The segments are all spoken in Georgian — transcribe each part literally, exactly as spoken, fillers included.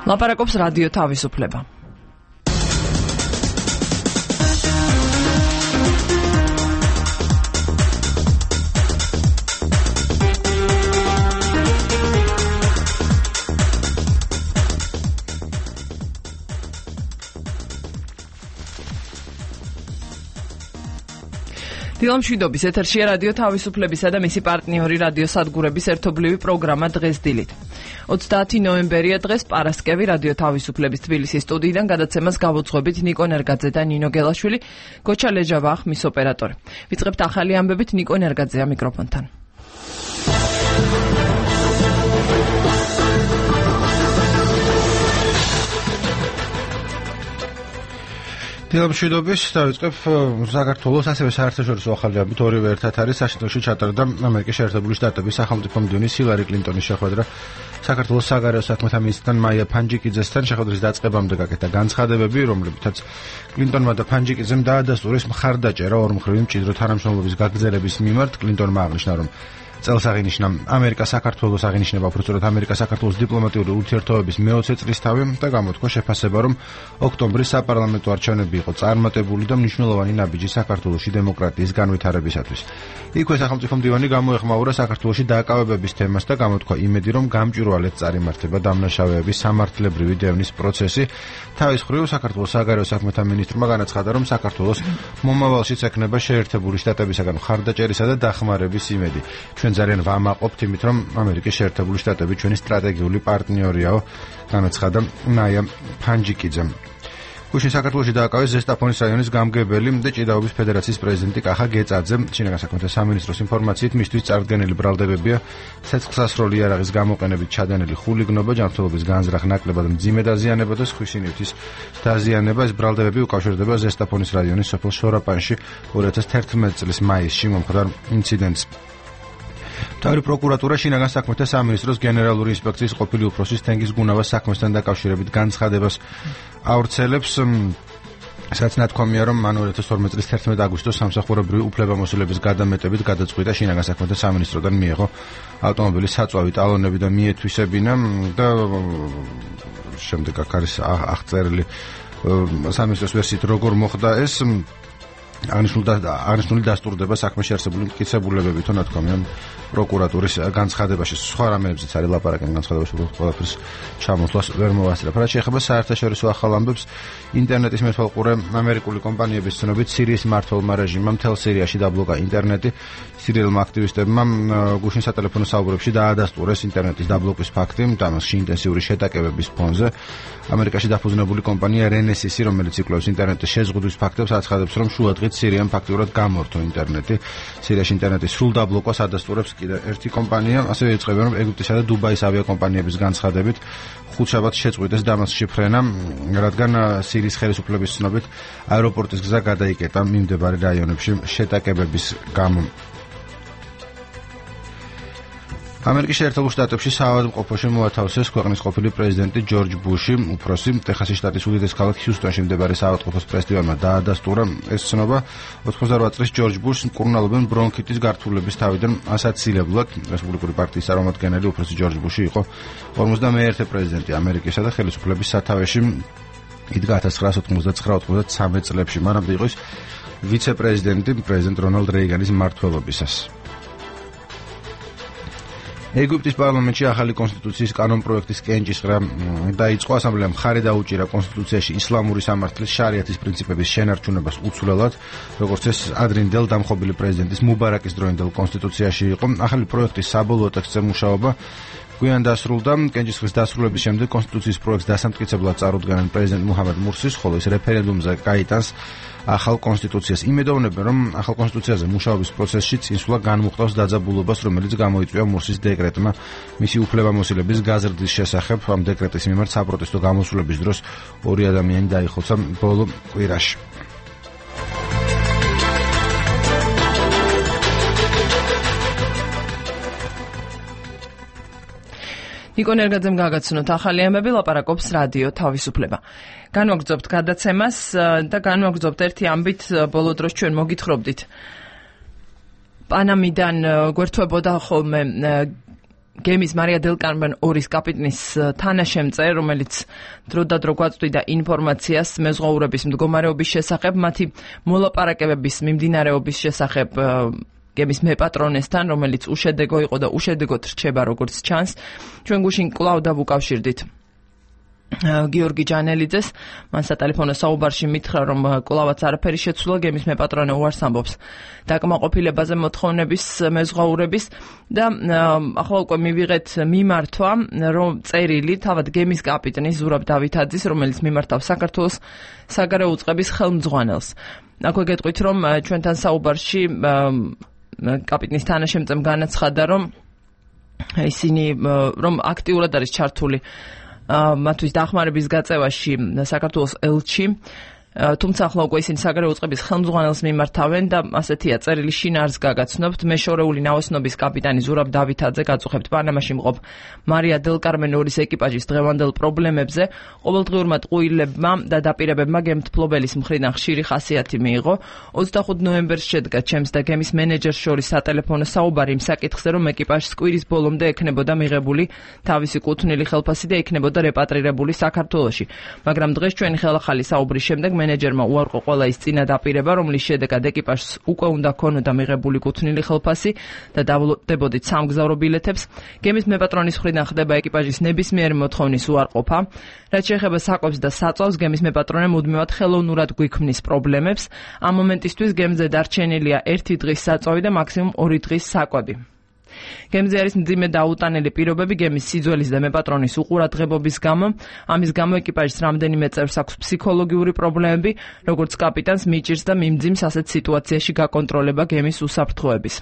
ლაპარაკობს რადიო თავისუფლება. დილამ შვიდობის ეთერშია რადიო თავისუფლებისა და მისი პარტნიორი რადიო სადგურების ერთობლივი პროგრამა დღეს დილით. ოცდაათი ნოემბერია დღეს პარასკევი რადიო თავისუფლების თბილისის სტუდიიდან გადაცემას გავუძღვებით ნიკო ნერგაძე და ნინო გელაშვილი, გოჩა ლეჯავა ხმის ოპერატორი. ვიწყებთ ახალი ამბებით ნიკო ნერგაძეა მიკროფონთან. დილამ შვიდობის დავიწყებ საქართველოს ასევე საერთაშორისო ახალი ამბით ორივე ერთად არის საშინელში ჩატარდა ამერიკის შეერთებული შტატების სახელმწიფო მდივნის ჰილარი კლინტონის შეხვედრა საქართველოს საგარეო საქმეთა მინისტრთან მაია ფანჯიკიძესთან შეხვედრის დაწყებამდე გაკეთა განცხადებები, რომლებითაც კლინტონმა და ფანჯიკიძემ დაადასტურეს მხარდაჭერა ორმხრივი მჭიდრო თანამშრომლობის გაგრძელების მიმართ. კლინტონმა აღნიშნა, რომ წელს აღინიშნა ამერიკა საქართველოს აღინიშნება უბრალოდ ამერიკა საქართველოს დიპლომატიური ურთიერთობების მეოცე წლისთავი და გამოთქვა შეფასება, რომ ოქტომბრის საპარლამენტო არჩევნები იყო წარმატებული და მნიშვნელოვანი ნაბიჯი საქართველოში დემოკრატიის განვითარებისათვის. იქვე სახელმწიფო მდივანი გამოეხმაურა საქართველოში დააკავებების თემას და გამოთქვა იმედი, რომ გამჭვირვალედ წარიმართება დამნაშავეების სამართლებრივი დევნის პროცესი. თავის მხრივ საქართველოს საგარეო საქმეთა მინისტრმა განაცხადა, რომ საქართველოს მომავალშიც ექნება შეერთებული შტატებისაგან მხარდაჭერისა და დახმარების იმედი. ჩვენ ძალიან ვამაყობთ იმით, რომ ამერიკის შეერთებული შტატები ჩვენი სტრატეგიული პარტნიორიაო, განაცხადა მაია ფანჯიკიძემ. გუშინ საქართველოში დააკავეს ზესტაფონის რაიონის გამგებელი და ჭიდაობის ფედერაციის პრეზიდენტი კახა გეწაძე. შინაგან საქმეთა სამინისტროს ინფორმაციით მისთვის წარდგენილი ბრალდებებია ცეცხლსასროლი იარაღის გამოყენებით ჩადენილი ხულიგნობა, ჯანმრთელობის განზრახ ნაკლებად მძიმე დაზიანება და სხვისი ნივთის დაზიანება. ეს ბრალდებები უკავშირდება ზესტაფონის რაიონის სოფელ შორაპანში ორი ათას თერთმეტი წლის მაისში მომხდარ ინციდენტს. მთავარი პროკურატურა შინაგან საქმეთა სამინისტროს გენერალური ინსპექციის ყოფილი უფროსის თენგიზ გუნავას საქმესთან დაკავშირებით განცხადებას ავრცელებს. სადაც ნათქვამია, რომ მან ორი ათას თორმეტი წლის თერთმეტი აგვისტოს სამსახურებრივი უფლებამოსილების გადამეტებით გადაწყვიტა შინაგან საქმეთა სამინისტროდან მიეღო ავტომობილის საწვავი ტალონები და მიეთვისებინა და შემდეგ აქ არის აღწერილი სამინისტროს ვერსიით როგორ მოხდა ეს. აღნიშნული დასტურდება საქმეში არსებული მტკიცებულებები თუ ნათქვამია პროკურატურის განცხადებაში. სხვა რამეებზეც არის ლაპარაკი განცხადებაში, უბრალოდ ყველაფერს ჩამოსვლას ვერ მოვასწრებ. რაც შეეხება საერთაშორისო ახალ ამბებს, ინტერნეტის მეთვალყურე ამერიკული კომპანიების ცნობით სირიის მმართველმა რეჟიმმა მთელ სირიაში დაბლოკა ინტერნეტი. სირიელმა აქტივისტებმა გუშინ სატელეფონო საუბრებში დაადასტურეს ინტერნეტის დაბლოკვის ფაქტი, მასში ინტენსიური შეტაკებების ფონზე. ამერიკაში დაფუძნებული კომპანია რენესისი, რომელიც იკვლევს ინტერნეტის შეზღუდვის ფაქტებს, აცხადებს, რომ შუადღით სირიამ ფაქტიურად გამორთო ინტერნეტი. სირიაში ინტერნეტის სრულ დაბლოკვას ადასტურებს კიდევ ერთი კომპანია. ასევე იწყებენ, რომ ეგვიპტისა და დუბაის ავიაკომპანიების განცხადებით ხუთშაბათს შეწყვიტეს დამასკში ფრენა, რადგან სირიის ხელისუფლების ცნობით აეროპორტის გზა გადაიკეტა მიმდებარე რაიონებში შეტაკებების გამო. ამერიკის შეერთებულ შტატებში საავადმყოფოში მოათავსეს ქვეყნის ყოფილი პრეზიდენტი ჯორჯ ბუში. უფროსი ტეხასის შტატის უდიდეს ქალაქ ჰიუსტონში მდებარე საავადმყოფოს პრესტივანმა დაადასტურა ეს ცნობა. ოთხმოცდაორ წლის ჯორჯ ბუშს მკურნალობენ ბრონქიტის გართულების თავიდან ასაცილებლად. რესპუბლიკური პარტიის წარმომადგენელი უფროსი ჯორჯ ბუში იყო ორმოცდამეერთე პრეზიდენტი ამერიკისა და ხელისუფლების სათავეში იდგა ათას ცხრაასი ოთხმოცდაცხრა ოცდათვრამეტ წლებში. მანამდე იყო ვიცე-პრეზიდენტი პრეზიდენტ რონალდ რეიგანის მმართველობისას. ეგვიპტის პარლამენტში ახალი კონსტიტუციის კანონპროექტის კენჭისყრა დაიწყო. ასამბლეამ მხარი დაუჭირა კონსტიტუციაში ისლამური სამართლის შარიათის პრინციპების შენარჩუნებას უცვლელად, როგორც ეს ადრინდელ დამხობილი პრეზიდენტის მუბარაკის დროინდელ კონსტიტუციაში იყო. ახალი პროექტის საბოლოო ტექსტზე მუშაობა გვიან დასრულდა. კენჭისყრის დასრულების შემდეგ კონსტიტუციის პროექტს დასამტკიცებლად წარუდგენენ პრეზიდენტ მუჰამედ მურსის, ხოლო ის რეფერენდუმზე გაიტანს ახალ კონსტიტუციას. იმედოვნებენ, რომ ახალ კონსტიტუციაზე მუშაობის პროცესში წინსვლა განმუხტავს დაძაბულობას, რომელიც გამოიწვია მურსის დეკრეტმა მისი უფლებამოსილების გაზრდის შესახებ. ამ დეკრეტის მიმართ საპროტესტო გამოსვლების დროს ორი ადამიანი დაიხოცა ბოლო კვირაში. ნიკო ნერგაძემ გაგაცნოთ ახალი ამბები, ლაპარაკობს რადიო თავისუფლება. განვაგრძობთ გადაცემას და განვაგრძობთ ერთი ამბით, ბოლო დროს ჩვენ მოგითხრობდით. პანამიდან გვერდთვებოდა ხოლმე გემის მარია დელ კარმენ ორის კაპიტნის თანაშემწე, რომელიც დროდადრო გვაწვდიდა ინფორმაციას მეზღვაურების მდგომარეობის შესახებ, მათი მოლაპარაკებების მიმდინარეობის შესახებ გემის მეპატრონესთან, რომელიც უშედეგო იყო და უშედეგოდ რჩება, როგორც ჩანს. ჩვენ გუშინ კვლავ დავუკავშირდით გიორგი ჯანელიძეს, მან სატელეფონო საუბარში მითხრა, რომ კვლავაც არაფერი შეცვლა, გემის მეპატრონე უარს ამბობს დაკმაყოფილებაზე მოთხოვნების მეზღვაურების და ახლა უკვე მივიღეთ მიმართვა, რომ წერილი თავად გემის კაპიტნის ზურაბ დავითაძის, რომელიც მიმართავს საქართველოს საგარეო უწყების ხელმძღვანელს. აქვე გეტყვით, რომ ჩვენთან საუბარში კაპიტნის თანაშემწემ განაცხადა, რომ ისინი რომ აქტიურად არის ჩართული მათთვის დახმარების გაწევაში საქართველოს ელჩი, თუმცა ახლა უკვე ისინი საგარეო უწყების ხელმძღვანელს მიმართავენ და ასეთია წერილი შინაარს გაგაცნობთ. მეშორეული ნაოსნობის კაპიტანი ზურაბ დავითაძე გაწუხებთ პანამაში მყოფ მარია დელ კარმენ ორის ეკიპაჟის დღევანდელ პრობლემებზე. ყოველდღიურმა ტყუილებმა და დაპირებებმა გემთფლობელის მხრიდან ხშირი ხასიათი მიიღო. ოცდახუთ ნოემბერს შედგა ჩემს და გემის მენეჯერს შორის სატელეფონო საუბარი იმ საკითხზე, რომ ეკიპაჟს კვირის ბოლომდე ექნებოდა მიღებული თავისი კუთვნილი ხელფასი და ექნებოდა რეპატრირებული საქართველოში. მაგრამ დღეს ჩვენი ხელახალი საუბრის შემდეგ მენეჯერმა უარყო ყველა ის წინა დაპირება, რომლის შედეგად ეკიპაჟს უკვე უნდა ქონოდა მიღებული კუთვნილი ხელფასი და დავალდებოდით სამგზავრო ბილეთებს. გემის მეპატრონის მხრიდან ხდება ეკიპაჟის ნებისმიერი მოთხოვნის უარყოფა. რაც შეეხება საკვებს და საწვავს, გემის მეპატრონე მუდმივად ხელოვნურად გვიქმნის პრობლემებს. ამ მომენტისთვის გემზე დარჩენილია ერთი დღის საწვავი და მაქსიმუმ ორი დღის საკვები. გემზე არის მძიმე დაუტანელი პირობები გემის სიძველის და მეპატრონის უყურადღებობის გამო. ამის გამო ეკიპაჟის რამდენიმე წევრს აქვს ფსიქოლოგიური პრობლემები, როგორც კაპიტანს მიჭირს და მიმძიმს ასეთ სიტუაციაში გაკონტროლება გემის უსაფრთხოების.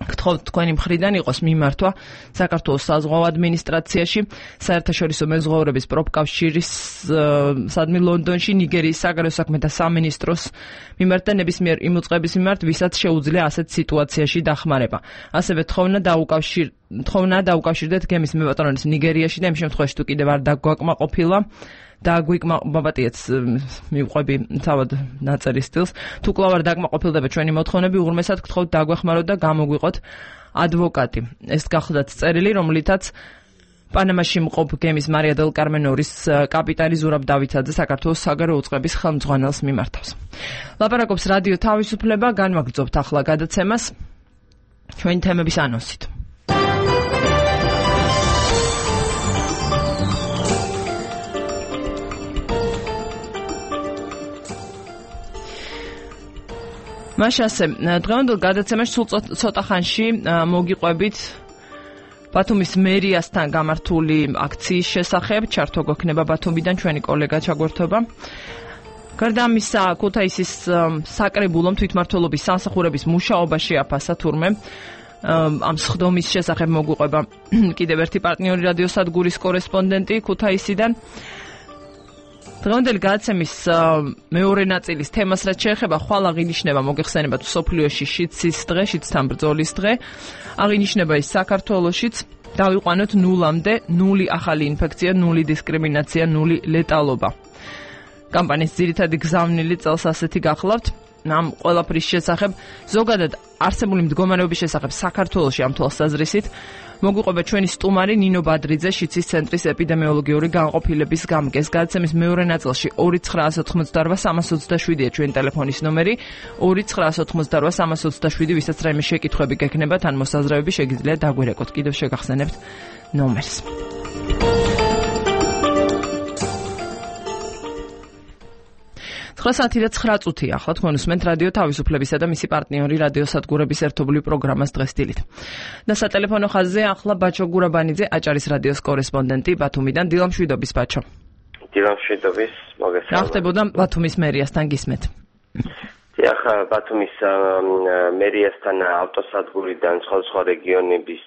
გთხოვთ თქვენი მხრიდან იყოს მიმართვა საქართველოს საზღვაო ადმინისტრაციაში, საერთაშორისო მეზღვაურების პროფკავშირის სადმი ლონდონში, ნიგერიის საგარეო საქმეთა სამინისტროს მიმართ და ნებისმიერ იმ უწყების მიმართ, ვისაც შეუძლია ასეთ სიტუაციაში დახმარება. ასევე თხოვნა დაუკავშირ თხოვნა დაუკავშირდეთ გემის მეპატრონის ნიგერიაში და იმ შემთხვევაში თუ კიდევ არ დაგვაკმაყოფილა და გვიკმაყოფიეთ მივყვები თავად ნაწერის სტილს. თუ კვლავ არ დაგმაყოფილდება ჩვენი მოთხოვნები, უღრმესად გთხოვთ დაგვეხმაროთ და გამოგვიყოთ ადვოკატი. ეს გახლდათ წერილი, რომლითაც პანამაში მყოფ გემის მარია დელ კარმენ ორის კაპიტანი ზურაბ დავითაძე საქართველოს საგარეო უწყების ხელმძღვანელს მიმართავს. ლაპარაკობს რადიო თავისუფლება, განვაგრძობთ ახლა გადაცემას ჩვენი თემების ანონსით. მაშასე დღევანდელ გადაცემაში სულ ცოტა ხანში მოგიყვებით ბათუმის მერიასთან გამართული აქციის შესახებ. ჩართვა გვექნება ბათუმიდან, ჩვენი კოლეგა ჩაგვერთვება. გარდა ამისა, ქუთაისის საკრებულომ თვითმმართველობის სამსახურების მუშაობა შეაფასა თურმე. ამ სხდომის შესახებ მოგვიყვება კიდევ ერთი პარტნიორი რადიოსადგურის კორესპონდენტი ქუთაისიდან. დღევანდელი გადაცემის მეორე ნაწილის თემას რაც შეეხება, ხვალ აღინიშნება მოგეხსენებათ მსოფლიოში შიდსის დღე, შიდსთან ბრძოლის დღე. აღინიშნება ის საქართველოშიც. დავიყვანოთ ნულამდე, ნული ახალი ინფექცია, ნული დისკრიმინაცია, ნული ლეტალობა. კამპანიის ძირითადი გზავნილი წელს ასეთი გახლავთ. ამ ყველაფრის შესახებ, ზოგადად არსებული მდგომარეობის შესახებ საქართველოში ამ თვალსაზრისით მოგვიყვება ჩვენი სტუმარი ნინო ბადრიძე, შიდსის ცენტრის ეპიდემიოლოგიური განყოფილების გამგეს. გადაცემის მეორე ნაწილში ორი ცხრაას ოთხმოცდარვა სამას ოცდაშვიდია ჩვენი ტელეფონის ნომერი, ორი ცხრაას ოთხმოცდარვა სამას ოცდაშვიდი, ვისაც რაიმე შეკითხვები გექნებათ ან მოსაზრებები, შეგიძლიათ დაგვირეკოთ. კიდევ შეგახსენებთ ნომერს. ცხრა საათი და ცხრა წუთია. ახლა თქვენ უსმენთ რადიო თავისუფლებისა და მისი პარტნიორი რადიოსადგურების ერთობლივ პროგრამას დღეს დილით. და სატელეფონო ხაზზე ახლა ბაჩო გურაბანიძე, აჭარის რადიოს კორესპონდენტი ბათუმიდან. დილამშვიდობის ბაჩო. დილამშვიდობის, მოგესალმებით. რა ხდებოდა ბათუმის მერიასთან, გისმენთ? დიახ, ბათუმის მერიასთან ავტოსადგურიდან სხვადასხვა რეგიონების,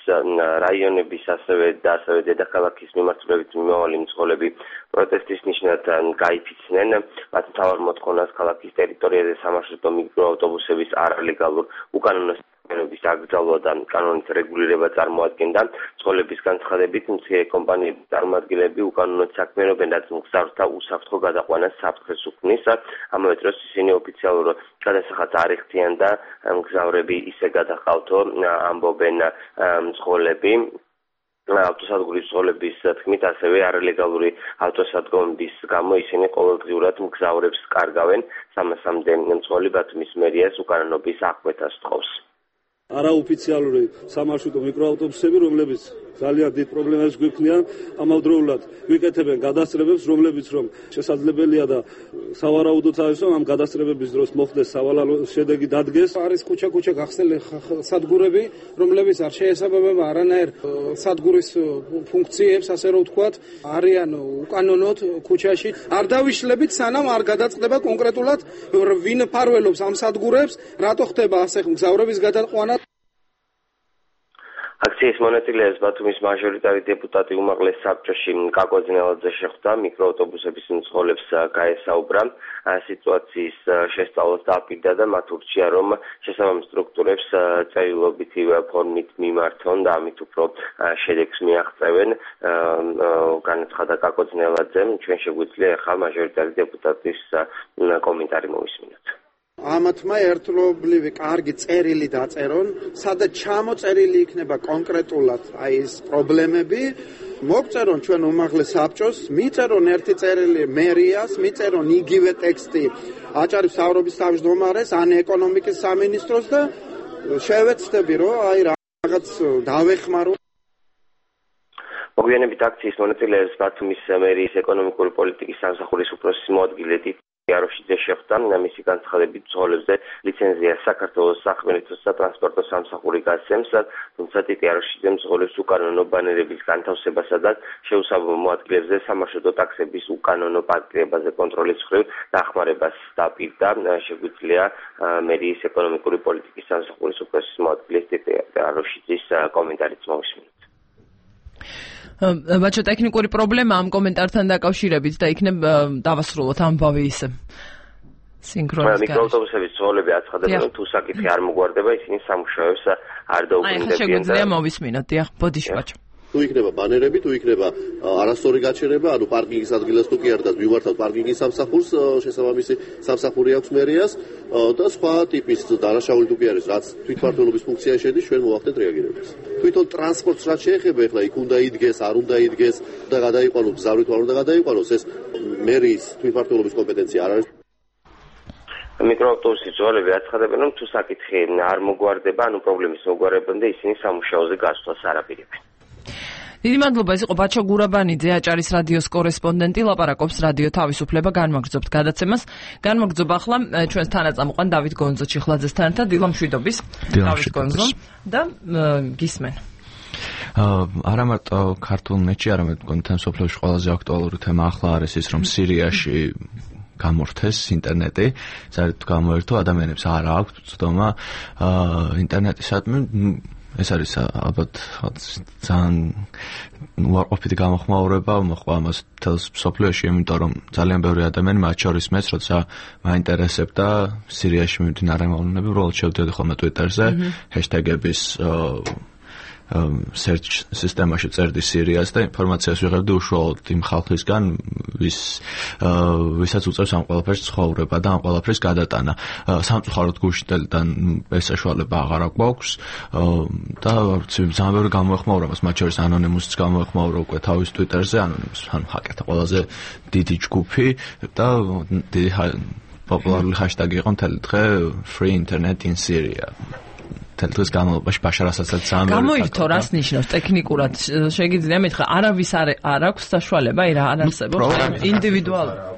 რაიონების, ასევე და ასევე დედაქალაქის მიმართულებით მიმავალი მძღოლები პროტესტის ნიშნად გაიფიცნენ. მათ მთავარ მოთხოვნას ქალაქის ტერიტორიაზე სამარშრუტო მიკროავტობუსების არალეგალურ უკანონო საქმიანობის აკრძალვა და კანონის რეგულირება წარმოადგენდა. მძღოლების განცხადებით, მცირე კომპანიების წარმომადგენლები უკანონოდ საქმიანობენ, რაც მგზავრთა უსაფრთხო გადაყვანას საფრთხეს უქმნის. ამავე დროს ისინი ოფიციალურად გადასახადს არ იხდიან და მგზავრები ისე გადაყავთო, ამბობენ მძღოლები. ავტოსადგურის მძღოლების თქმით, ასევე არალეგალური ავტოსადგომების გამო ისინი ყოველდღიურად მგზავრებს კარგავენ. სამასამდე მძღოლი ბათუმის მერიას უკანონობის აღკვეთას თხოვს. არაოფიციალური სამარშრუტო მიკროავტობუსები, რომლებიც ძალიან დიდ პრობლემებს გვექნიან, ამავდროულად ვიკეთებენ გადასწრებებს, რომლებიც რომ შესაძლებელია და სავარაუდოც არის, რომ ამ გადასწრებების დროს მოხდეს სავალალო შედეგი დადგეს. არის ქუჩა-ქუჩა გახსნილი სადგურები, რომლებიც არ შეესაბამება არანაირ სადგურის ფუნქციებს, ასე რომ ვთქვათ, არიან უკანონოდ ქუჩაში. არ დავიშლებით, სანამ არ გადაწყდება კონკრეტულად ვინ ფარველობს ამ სადგურებს, რატო ხდება ასე მგზავრების გადაყვანა. აქციის მონაწილეებს ბათუმის მაჟორიტარი დეპუტატი უმაღლეს საბჭოში კაკო ძნელაძე შეხვდა, მიკროავტობუსების მძღოლებს გაესაუბრა სიტუაციის შესწავლას დააპირდა და მათ ურჩია, რომ შესაბამის სტრუქტურებს წერილობითი ფორმით მიმართონ და ამით უფრო შედეგს მიაღწევენ. განაცხადა კაკო ძნელაძემ, ჩვენ შეგვიძლია ახლა მაჟორიტარი დეპუტატის კომენტარი მოვისმინოთ. ამათმა ერთლობლივი კარგი წერილი დაწერონ, სადაც ჩამოწერილი იქნება კონკრეტულად აი ეს პრობლემები, მოგწერონ ჩვენ უმაღლეს საბჭოს, მიწერონ ერთი წერილი მერიას, მიწერონ იგივე ტექსტი აჭარის მთავრობის თავმჯდომარეს, ან ეკონომიკის სამინისტროს და შევეცდები, რომ აი რაღაც დავეხმარო. მოგვიანებით აქციის მონაწილეებს ბათუმის მერიის ეკონომიკური პოლიტიკის სამსახურის უფროსის მოადგილე იაროშიძე შეხვდა. მისი განცხადებით, მძღოლებზე ლიცენზია საქართველოს სახმელეთო სატრანსპორტო სამსახური გასცემს, თუმცა იაროშიძე მძღოლებს უკანონო ბანერების განთავსებასა და შეუსაბამო ადგილებზე სამარშრუტო ტაქსების უკანონო პარკირებაზე კონტროლის მხრივ დახმარებას დაპირდა. შეგვიძლია მერიის ეკონომიკური პოლიტიკის სამსახურის უფროსის მოადგილეს იაროშიძის კომენტარიც მოვისმინოთ. ბაჩო, ტექნიკური პრობლემა ამ კომენტართან დაკავშირებით და იქნებ დავასრულოთ ამბავი ისე. სინქრონიზ გარეშე. მიკროავტობუსების მძღოლები აცხადებენ, რომ თუ საკითხი არ მოგვარდება, ისინი სამუშაოებს არ დაუბრუნდებიან. აი, შეგვიძლია მოვისმინოთ, დიახ, ბოდიში ბაჩო. თუ იქნება ბანერები, თუ იქნება არასწორი გაჩერება, ანუ პარკინგის ადგილას თუ კი არ და მივართავთ პარკინგის სამსახურს, შესაბამისი სამსახური აქვს მერიას და სხვა ტიპის დანაშაული თუ კი არის, რაც თვითმმართველობის ფუნქციაში შედის, ჩვენ მოვახდეთ რეაგირებას. თვითონ ტრანსპორტს რაც შეეხება, ეხლა იქ უნდა იდგეს, არ უნდა იდგეს და გადაიყვანოს, გზავრით არ უნდა გადაიყვანოს, ეს მერიის თვითმმართველობის კომპეტენცია არ არის. მიკროავტობუსის მძღოლები აცხადებენ, რომ თუ საკითხი არ მოგვარდება, ანუ პრობლემის მოგვარებამდე ისინი სამუშაოზე გასვლას არ აპირებენ. დიდი მადლობა, ეს იყო ბაჩო გურაბანიძე, აჭარის რადიოს კორესპონდენტი, ლაპარაკობს რადიო თავისუფლება, განმაგრძობთ გადაცემას. განმაგრძობ ახლა ჩვენს თანაწამყვან დავით გონძო ჩიხლაძესთან ერთად, დილა მშვიდობის. დავით გონძო და გისმენ. არა მარტო ქართულ ნეტში, არამედ კონტენტ სოფლებში ყველაზე აქტუალური თემა ახლა არის ის, რომ სირიაში გამორთეს ინტერნეტი, საერთოდ გამოერთო ადამიანებს არ აქვს ცდომა ინტერნეტისადმი. ეს არის ალბათ ძალიან უარყოფითი გამოხმაურება, მოხდა ამას თელს სოფლიოში, იმიტომ რომ ძალიან ბევრი ადამიანი, მათ შორის მეც, როცა მაინტერესებდა სირიაში მიმდინარე მოვლენები, უბრალოდ შევდიოდი ხოლმე Twitter-ზე, ჰეშტეგების search სისტემაში წერდი სირიას და ინფორმაციას ვიღებდი უშუალოდ იმ ხალხისგან, ვის ვისაც უწევს ამ ყველაფერს ცხოვრება და ამ ყველაფერს გადატანა. სამწუხაროდ გუშინდელიდან ეს საშუალება აღარ გვაქვს და ძალიან ბევრი გამოეხმაურა მას, მათ შორის ანონიმუსიც გამოეხმაურა უკვე თავის Twitter-ზე, ანონიმუს ანუ ჰაკერთა ყველაზე დიდი ჯგუფი და დიდი პოპულარული ჰაშტაგი იყო მთელი დღე free internet in Syria. თელთვის განმავლობაში ბაშარ ასადსაც ძალიან გამოირთო, რას ნიშნავს ტექნიკურად? შეგიძლია მითხრა, არავის არ აქვს საშუალება, აი რა არ არსებობს ინდივიდუალურად.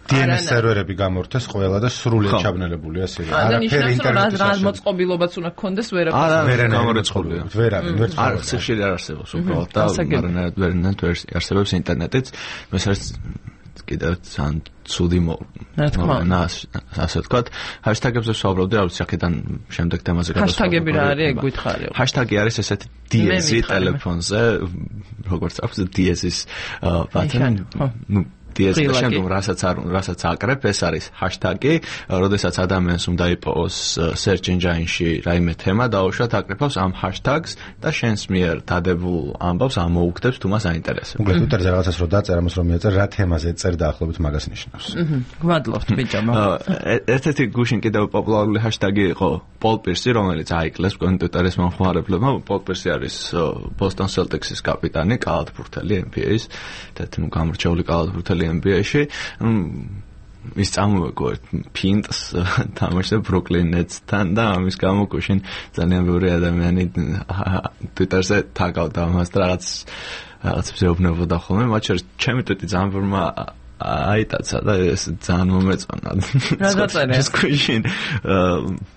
დი ენ ეს სერვერები გამორთეს ყველა და სრულად ჩაბნელებულია სირია. არაფერი ინტერნეტის რა მოწყობილობაც უნდა გქონდეს ვერაფერს. ვერ გამორიცხულია. ვერავინ, ვერც არ ხშირი არ არსებობს უბრალოდ და ვერანაირად ვერ არსებობს ინტერნეტიც. მეცერს კიდევ ძალიან ცუდი მოვლენა, ასე ვთქვათ. ჰაშტაგებზე ვსაუბრობდი, რა ვიცი, აქედან შემდეგ თემაზე გადავსვამ. ჰაშტაგები რა არის, ეგ გითხარიო. ჰაშტაგი არის ესეთი დიეზი ტელეფონზე, როგორც აქვს დიეზის ბატონი. ნუ დიეს და შემდგომ რასაც არ რასაც აკრებ, ეს არის ჰაშტაგი, როდესაც ადამიანს უნდა იპოვოს search engine-ში რაიმე თემა დაუშვათ, აკრეფავს ამ ჰაშტაგს და შენს მიერ დადებულ ამბავს ამოუგდებს თუ მას აინტერესებს. უბრალოდ ტვიტერზე რაღაცას რო დაწერა, მას რომ მიაწერ რა თემაზე წერდა დაახლოებით მაგას ნიშნავს. აჰა, გვადლობთ ბიჭო. ერთ-ერთი გუშინ კიდევ პოპულარული ჰაშტაგი იყო პოლ პირსი, რომელიც აიკლეს ტვიტერის მომხმარებლებმა. პოლ პირსი არის Boston Celtics-ის კაპიტანი, კალათბურთელი N B A-ის, და ნუ გამორჩეული კალათბურთელი N B A-ში. ის წამოვეგო ფინტს თამაშზე Brooklyn Nets-თან და ამის გამო გუშინ ძალიან ბევრი ადამიანი ტვიტერზე თაგავდა მას და რაღაც რაღაც ზეუბნებოდა ხოლმე, მათ შორის ჩემი ტვიტი ძალიან ბევრმა აიტაცა და ეს ძალიან მომეწონა. რა დაწერე? ეს გუშინ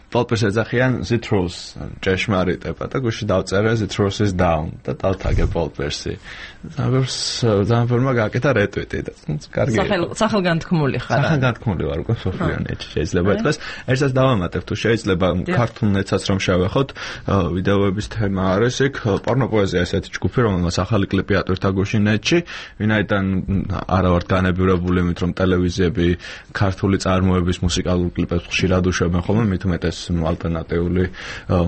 პოპეს ეძახიან Citrus ჭეშმარიტება და გუშინ დავწერე Citrus is down და დავთაგე პოპერსი. ძალიან ბევრმა გააკეთა რეტვიტი და კარგი. სახელ სახელგანთქმული ხარ. სახელგანთქმული ვარ უკვე სოფლიო ნეტში შეიძლება ეთქოს. ერთსაც დავამატებ თუ შეიძლება ქართულ ნეტსაც რომ შევეხოთ, ვიდეოების თემა არის იქ პორნოპოეზია ესეთი ჯგუფი, რომელმაც ახალი კლიპი ატვირთა გუშინ ნეტში, ვინაიდან არა ვართ განებივრებული იმით რომ ტელევიზიები ქართული წარმოების მუსიკალურ კლიპებს ხშირად უშვებენ ხოლმე, მით უმეტეს ალტერნატიული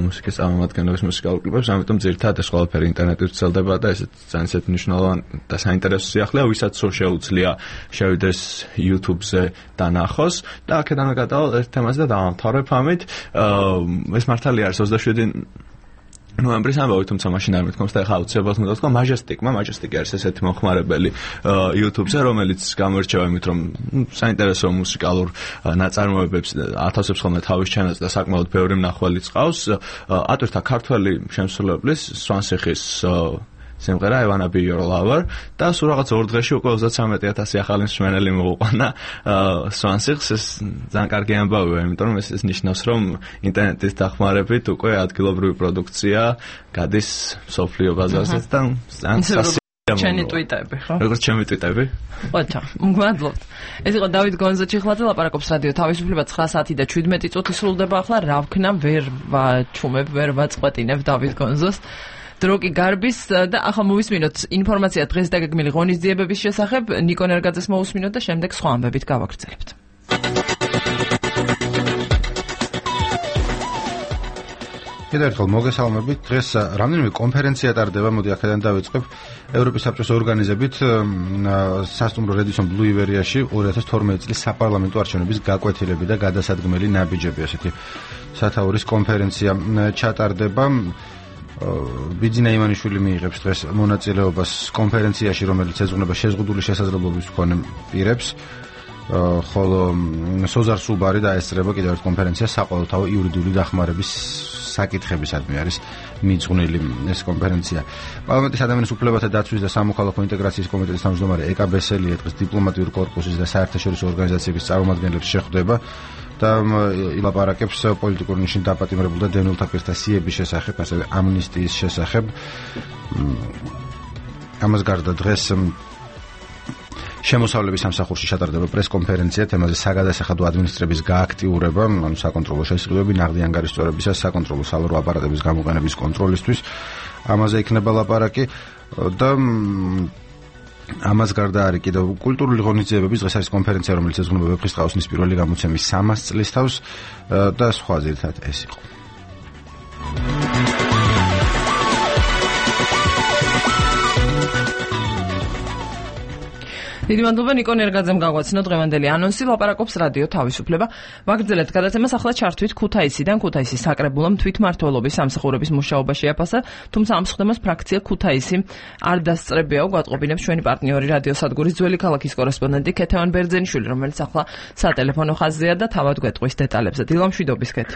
მუსიკის წარმომადგენლების მუსიკალურ კლიპებს, ამიტომ ძირითადად ეს ყველაფერი ინტერნეტით ვრცელდება და ეს ძალიან ისეთი მნიშვნელოვანი და საინტერესო სიახლეა, ვისაც სულ შეუძლია შევიდეს YouTube-ზე და ნახოს და აქედან გადავალ ერთ თემაზე და დავამთავრებ ამით. ეს მართალია არის ოცდაშვიდი ნოემბრის ამბავი, თუმცა მაშინ არ მithkoms და ახლა აუცილებლად უნდა ვთქვა Majestic-მა, Majestic არის ესეთი მომხმარებელი YouTube-ზე, რომელიც გამოირჩევა იმით, რომ საინტერესო მუსიკალურ ნაწარმოებებს ათასებს ხოლმე თავის ჩანელს და საკმაოდ ბევრი მნახველი წყავს. ატვირთა ქართველი შემსრულებლის სვანსიხის სიმღერა I wanna be your lover და სულ რაღაც ორ დღეში უკვე ოცდათვრამეტი ათასი ახალი მსმენელი მოუყვანა სვანსიხს. ეს ძალიან კარგი ამბავია, იმიტომ რომ ეს ეს ნიშნავს, რომ ინტერნეტის დახმარებით უკვე ადგილობრივი პროდუქცია გადის სოფლიო ბაზარზე და ძალიან ჩენი ტვიტები, ხო? როგორც ჩემი ტვიტები? ოჩა, მგვადლობთ. ეს იყო დავით გონზაჩიხლაძე, ლაპარაკობს რადიო თავისუფლება ცხრა საათი და შვიდმეტი წუთი სრულდება ახლა. რა ვქნა, ვერ ვაჩუმებ, ვერ ვაწყვეტინებ დავით გონზოს. დრო კი გარბის და ახლა მოვისმინოთ ინფორმაცია დღეს დაგეგმილი ღონისძიებების შესახებ. ნიკო ნერგაძეს მოვისმინოთ და შემდეგ სხვა ამბებით გავაგრძელებთ. კიდევ ერთხელ მოგესალმებით. დღეს რამდენიმე კონფერენცია ტარდება, მოდი აქედან დავიწყებ. ევროპის საბჭოს ორგანიზებით სასტუმრო Radisson Blu Iberia-ში ორი ათას თორმეტი წლის საპარლამენტო არჩევნების გაკვეთილები და გადასადგმელი ნაბიჯები, ასეთი სათაურის კონფერენცია ჩატარდება. ბიძინა ივანიშვილი მიიღებს დღეს მონაწილეობას კონფერენციაში, რომელიც ეძღვნება შეზღუდული შესაძლებლობის მქონე პირებს, ხოლო სოზარ სუბარი დაესწრება კიდევ ერთ კონფერენციას საყოველთაო იურიდიული დახმარების საკითხებისადმი არის მიძღვნილი ეს კონფერენცია. პარლამენტის ადამიანის უფლებათა დაცვის და სამოქალაქო ინტეგრაციის კომიტეტის თავმჯდომარე ეკა ბესელია დღეს დიპლომატიური კორპუსის და საერთაშორისო ორგანიზაციების წარმომადგენლებს შეხვდება და ილაპარაკებს პოლიტიკურ ნიშნით დაპატიმრებულ და დევნილთა პირთა სიების შესახებ, ასევე ამნისტიის შესახებ. ამას გარდა დღეს შემოსავლების სამსახურში ჩატარდება პრესკონფერენცია თემაზე საგადასახადო ადმინისტრების გააქტიურება, ანუ საკონტროლო შესყიდვები, ნაღდი ანგარიშწორებისა, საკონტროლო სალარო აპარატების გამოყენების კონტროლისთვის. ამაზე იქნება ლაპარაკი და ამას გარდა არის კიდევ კულტურული ღონისძიებების. დღეს არის კონფერენცია, რომელიც ეძღვნება ვეფხისტყაოსნის პირველი გამოცემის სამას წლის თავს და სხვა ძირითადად ეს იყო. დიდი მადლობა ნიკო ნერგაძემ გაგვაცნო დღევანდელი ანონსი. ლაპარაკობს რადიო თავისუფლება. ვაგრძელებთ გადაცემას. ახლა ჩართვით ქუთაისიდან. ქუთაისის საკრებულომ თვითმმართველობის სამსახურების მუშაობა შეაფასა, თუმცა ამ სხდომას ფრაქცია ქუთაისი არ დასწრებიაო. გვატყობინებს ჩვენი პარტნიორი რადიო სადგურის ძველი ქალაქის კორესპონდენტი ქეთევან ბერძენიშვილი, რომელიც ახლა სატელეფონო ხაზზეა და თავად გვეტყვის დეტალებზე. დილამშვიდობის ქეთ.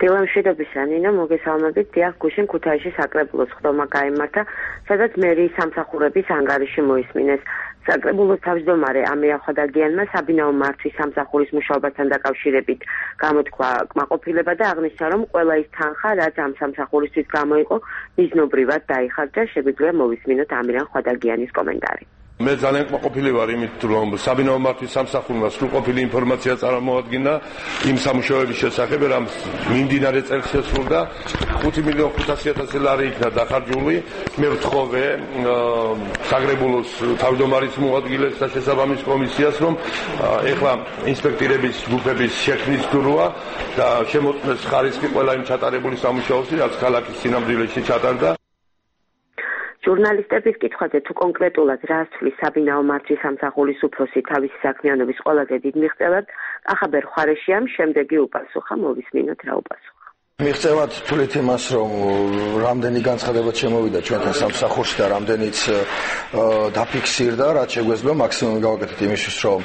დილამშვიდობისა ნინო, მოგესალმებით. დიახ, გუშინ ქუთაისში საკრებულოს სხდომა გაიმართა, სადაც მერიის სამსახურების ანგარიში მოისმინეს. საკრებულოს თავმჯდომარე ამირა ხვადაგიანმა საბინაო მართვის სამსახურის მუშაობასთან დაკავშირებით გამოთქვა კმაყოფილება და აღნიშნა, რომ ყველა ის თანხა, რაც ამ სამსახურისთვის გამოიყო, მიზნობრივად დაიხარჯა. შეგვიძლია მოვისმინოთ ამირა ხვადაგიანის კომენტარი. მე ძალიან კმაყოფილი ვარ იმით, რომ საბინაო მართვის სამსახურმა სრულყოფილი ინფორმაცია წარმოადგინა იმ სამუშაოების შესახებ, რამ მიმდინარე წელს შესრულდა. ხუთი მილიონი ხუთასი ათასი ლარი იქნა დახარჯული. მე ვთხოვე საგრებულოს თავმჯდომარის მოადგილეს და შესაბამის კომისიას, რომ ეხლა ინსპექტორების ჯგუფების შექმნის დრო და შემოწმეს ხარისხი ყველა იმ ჩატარებული სამუშაოსი, რაც ქალაქის სინამდვილეში ჩატარდა. ჟურნალისტების კითხვაზე თუ კონკრეტულად რა ასწვლის საბინაო მართვის სამსახურის უფროსი თავისი საქმიანობის ყველაზე დიდ მიღწევად, კახაბერ ხარეშიამ შემდეგი უპასუხა, მოვისმინოთ რა უპასუხა. მიღწევად თვლით იმას, რომ რამდენი განცხადება შემოვიდა ჩვენთან სამსახურში და რამდენიც დაფიქსირდა, რაც შეგვეძლო მაქსიმუმი გავაკეთეთ იმისთვის, რომ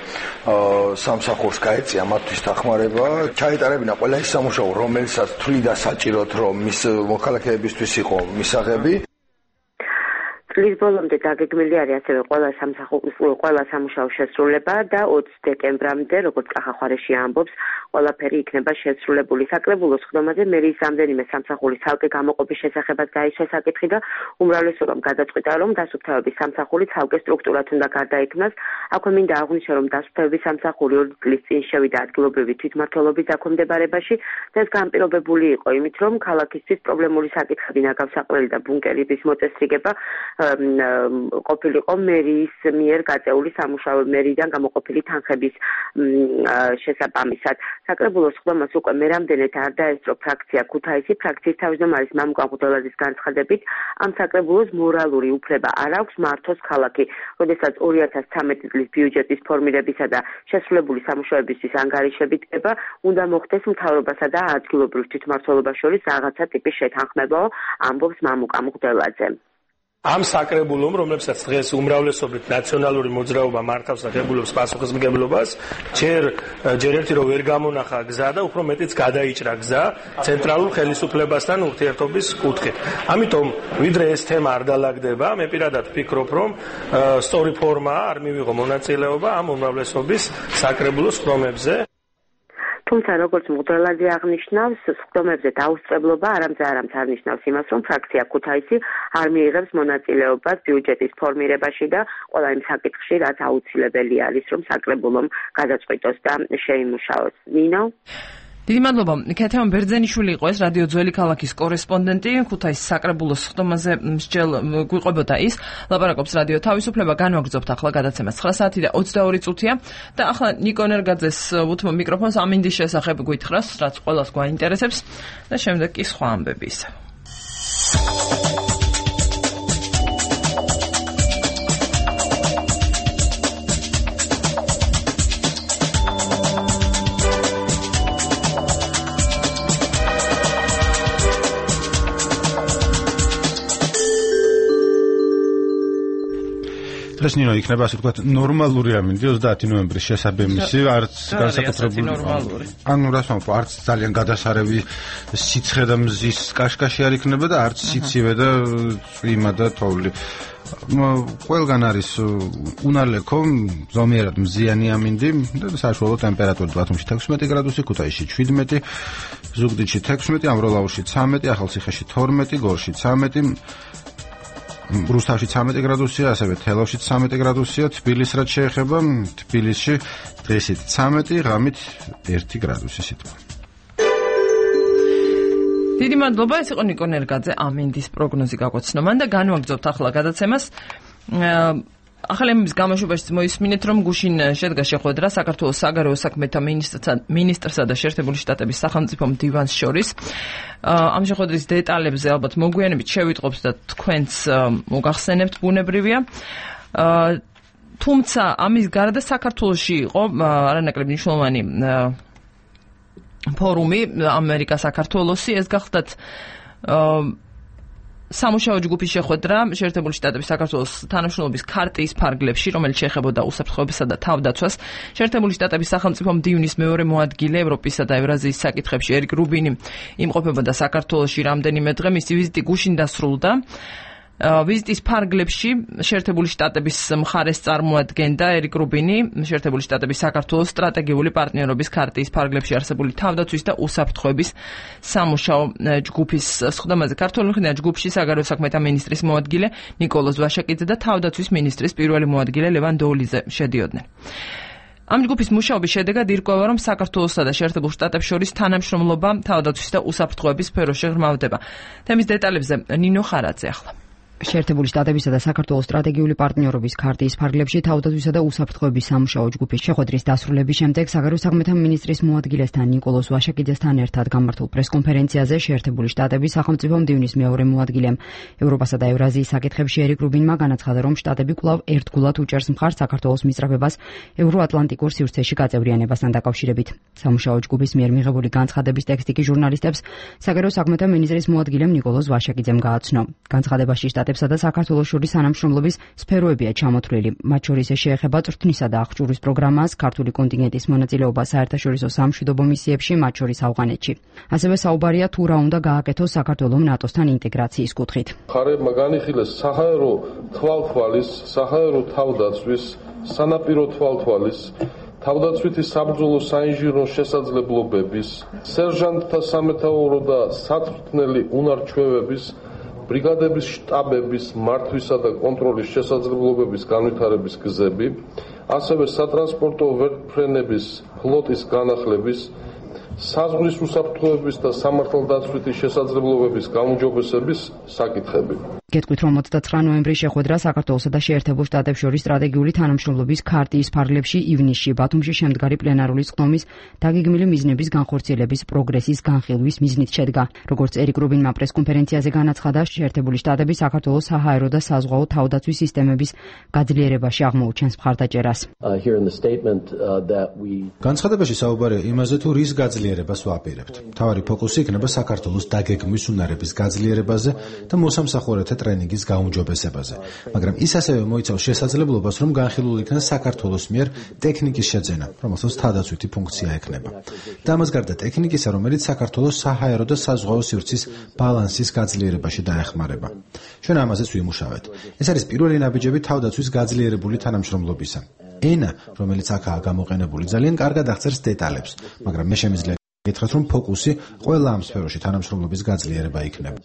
სამსახურს გაეწია მართვის დახმარება, ჩაეტარებინა ყველა ის სამუშაო, რომელსაც თვლიდა საჭიროდ, რომ მის მოქალაქეებისთვის იყო მისაღები. წლის ბოლომდე დაგეგმილი არის ასევე ყველა სამსახურის ყველა სამუშაოს შესრულება და ოცი დეკემბრამდე, როგორც კახახარეში ამბობს, ყველაფერი იქნება შესრულებული. საკრებულოს ხდომაზე მერიის რამდენიმე სამსახურის ცალკე გამოყოფის შესახებაც გაისვა საკითხი და უმრავლესობამ გადაწყვიტა, რომ დასუფთავების სამსახური ცალკე სტრუქტურად უნდა გარდაიქმნას. აქვე მინდა აღვნიშნო, რომ დასუფთავების სამსახური ორი წლის წინ შევიდა ადგილობრივი თვითმმართველობის დაქვემდებარებაში და ეს განპირობებული იყო იმით, რომ ქალაქისთვის პრობლემური საკითხები, ნაგავსაყრელი და ბუნკერების მოწესრიგება ყოფილიყო მერიის მიერ გაწეული სამუშაო მერიიდან გამოყოფილი თანხების შესაბამისად. საკრებულოს ხდომას უკვე მერამდენეთ არ დაესწრო ფრაქცია ქუთაისი, ფრაქციის თავმჯდომარის მამუკან ხუდელაძის განცხადებით, ამ საკრებულოს მორალური უფლება არ აქვს მართოს ქალაქი, როდესაც ორი ათას ცხრამეტი წლის ბიუჯეტის ფორმირებისა და შესრულებული სამუშაოებისთვის ანგარიშები დგება, უნდა მოხდეს მთავრობასა და ადგილობრივ თვითმმართველობას შორის რაღაცა ტიპის შეთანხმებაო, ამბობს მამუკან ხუდელაძე. ამ საკრებულომ, რომლებსაც დღეს უმრავლესობით ნაციონალური მოძრაობა მართავს და ღებულობს პასუხისმგებლობას, ჯერ ჯერ ერთი რომ ვერ გამონახა გზა და უფრო მეტიც გადაიჭრა გზა ცენტრალურ ხელისუფლებასთან ურთიერთობის კუთხით. ამიტომ, ვიდრე ეს თემა არ დალაგდება, მე პირადად ვფიქრობ, რომ სწორი ფორმა არ მივიღო მონაწილეობა ამ უმრავლესობის საკრებულოს ხდომებზე. თუმცა როგორც მღვდელაძე აღნიშნავს, ხდომებზე დაუსწრებლობა არამძა არამც არ ნიშნავს იმას, რომ ფრაქცია ქუთაისი არ მიიღებს მონაწილეობას ბიუჯეტის ფორმირებაში და ყველა იმ საკითხში, რაც აუცილებელი არის, რომ საკრებულომ გადაწყვიტოს და შეიმუშაოს. ნინო? დიდი მადლობა. ქეთევან ბერძენიშვილი იყო ეს რადიო ძველი ქალაქის კორესპონდენტი, ქუთაისის საკრებულოს ხდომაზე მსჯელ გვიყვებოდა ის. ლაპარაკობს რადიო თავისუფლება, განვაგრძობთ ახლა გადაცემას ცხრა საათი და ოცდაორი წუთია და ახლა ნიკო ნერგაძეს უთმო მიკროფონს ამინდის შესახებ გვითხრას, რაც ყველას გვაინტერესებს და შემდეგ კი სხვა ამბები ისევ. დღეს ნინო იქნება ასე ვთქვათ ნორმალური ამინდი ოცდაათი ნოემბრის შესაბამისი არც განსაკუთრებული ანუ რას ვამბობ არც ძალიან გადასარევი სიცხე და მზის კაშკაში არ იქნება და არც სიცივე და წვიმა და თოვლი ყველგან არის უნალექო ზომიერად მზიანი ამინდი და საშუალო ტემპერატურა ბათუმში თექვსმეტი გრადუსი, ქუთაისში შვიდმეტი, ზუგდიდში თექვსმეტი, ამროლაურში ცამეტი, ახალციხეში თორმეტი, გორში ცამეტი, რუსთავში ცამეტი გრადუსია, ასევე თელავში ცამეტი გრადუსია, თბილისს რაც შეეხება, თბილისში დღესით ცამეტი, ღამით ერთი გრადუსი სიტყვა. დიდი მადლობა, ეს იყო ნიკო ნერგაძე ამინდის პროგნოზი გაგვაცნო. მან და განვაგრძობთ ახლა გადაცემას. ახალი ამბების გამოშვებაშიც მოისმინეთ, რომ გუშინ შედგა შეხვედრა საქართველოს საგარეო საქმეთა მინისტრსა და შეერთებული შტატების სახელმწიფო მდივანს შორის. ამ შეხვედრის დეტალებზე ალბათ მოგვიანებით შევიტყობთ და თქვენც მოგახსენებთ, ბუნებრივია. თუმცა ამის გარდა საქართველოში იყო არანაკლებ მნიშვნელოვანი ფორუმი ამერიკა-საქართველოსი, ეს გახლდათ სამუშაო ჯგუფის შეხვედრა შეერთებული შტატების საქართველოს თანამშრომლობის ქარტიის ფარგლებში, რომელიც შეეხებოდა უსაფრთხოებასა და თავდაცვას. შეერთებული შტატების სახელმწიფო მდივნის მეორე მოადგილე ევროპისა და ევრაზიის საკითხებში ერიკ რუბინი იმყოფებოდა საქართველოში რამდენიმე დღე, მისი ვიზიტი გუშინ დასრულდა. ვიზიტის ფარგლებში შეერთებული შტატების მხარეს წარმოადგენდა ერიკ რუბინი, შეერთებული შტატების საქართველოს სტრატეგიული პარტნიორობის ქარტიის ფარგლებში არსებული თავდაცვის და უსაფრთხოების სამუშაო ჯგუფის სხდომაზე. ქართული მხრიდან ჯგუფში საგარეო საქმეთა მინისტრის მოადგილე ნიკოლოზ ვაშაკიძე და თავდაცვის მინისტრის პირველი მოადგილე ლევან დოულიძე შედიოდნენ. ამ ჯგუფის მუშაობის შედეგად ირკვევა, რომ საქართველოსა და შეერთებულ შტატებს შორის თანამშრომლობა თავდაცვის და უსაფრთხოების სფეროში ღრმავდება. თემის დეტალებზე ნინო ხარაძე ახლა. შეერთებული შტატებისა და საქართველოს სტრატეგიული პარტნიორობის ქარტიის ფარგლებში თავდაცვისა და უსაფრთხოების სამუშაო ჯგუფის შეხვედრის დასრულების შემდეგ საგარეო საქმეთა მინისტრის მოადგილესთან ნიკოლოზ ვაშაკიძესთან ერთად გამართულ პრესკონფერენციაზე შეერთებული შტატების სახელმწიფო მდივნის მეორე მოადგილემ ევროპასა და ევრაზიის საკითხებში ერიკ რუბინმა განაცხადა, რომ შტატები კვლავ ერთგულად უჭერს მხარს საქართველოს მისწრაფებას ევროატლანტიკურ სივრცეში გაწევრიანებასთან დაკავშირებით. სამუშაო ჯგუფის მიერ მიღებული განცხადების ტექსტი კი ჟურნალისტებს საგარეო საქმეთა მინისტრის მოადგილემ ნიკოლოზ ვაშაკიძემ გააცნო. განცხადებაში შტატებსა და საქართველოს შორის თანამშრომლობის სფეროებია ჩამოთვლილი. მათ შორის შეეხება წვრთნისა და აღჭურვის პროგრამას, ქართული კონტინგენტის მონაწილეობა საერთაშორისო სამშვიდობო მისიებში, მათ შორის ავღანეთში. ასევე საუბარია თუ რა უნდა გააკეთოს საქართველოს ნატოსთან ინტეგრაციის კუთხით. ხარებმა განიხილეს საჰაერო თვალთვალის, საჰაერო თავდაცვის, სანაპირო თვალთვალის, თავდაცვითი საბრძოლო საინჟინრო შესაძლებლობების, სერჟანტთა სამეთაურო და საწვრთნელი უნარჩვევების, ბრიგადების შტაბების მართვისა და კონტროლის შესაძლებლობების განვითარების გზები, ასევე სატრანსპორტო ვერტმფრენების ფლოტის განახლების, საზღვრის უსაფრთხოების და სამართალდაცვითი შესაძლებლობების გაუმჯობესების საკითხები. გეტყვით, რომ ოცდაცხრა ნოემბრის შეხვედრა საქართველოსა და შეერთებულ შტატებს შორის სტრატეგიული თანამშრომლობის ქარტიის ფარგლებში ივნისში ბათუმში შემდგარი პლენარული სხდომის დაგეგმილი მიზნების განხორციელების პროგრესის განხილვის მიზნით შედგა. როგორც ერიკ რუბინმა პრესკონფერენციაზე განაცხადა, შეერთებული შტატები საქართველოს საჰაერო და საზღვაო თავდაცვის სისტემების გაძლიერებაში აღმოუჩენს მხარდაჭერას. განცხადებაში საუბარია იმაზე, თუ რის გაძლიერებას ვაპირებთ. მთავარი ფოკუსი იქნება საქართველოს დაგეგმვის უნარების გაძლიერებაზე და მოსამსახურეთა ტრენინგის გაუმჯობესებაზე, მაგრამ ის ასევე მოიცავს შესაძლებლობას, რომ განხილულ იქნას საქართველოს მიერ ტექნიკის შეძენა, რომელსაც თავდაცვითი ფუნქცია ექნება. და ამას გარდა ტექნიკისა, რომელიც საქართველოს საჰაერო და საზღვაო სივრცის ბალანსის გაძლიერებაში დაეხმარება. ჩვენ ამაზეც ვიმუშავეთ. ეს არის პირველი ნაბიჯები თავდაცვის გაძლიერებული თანამშრომლობისა. ენა, რომელიც აქაა გამოყენებული, ძალიან კარგად აღწერს დეტალებს, მაგრამ მე შემიძლია გითხრათ, რომ ფოკუსი ყველა ამ სფეროში თანამშრომლობის გაძლიერება იქნება.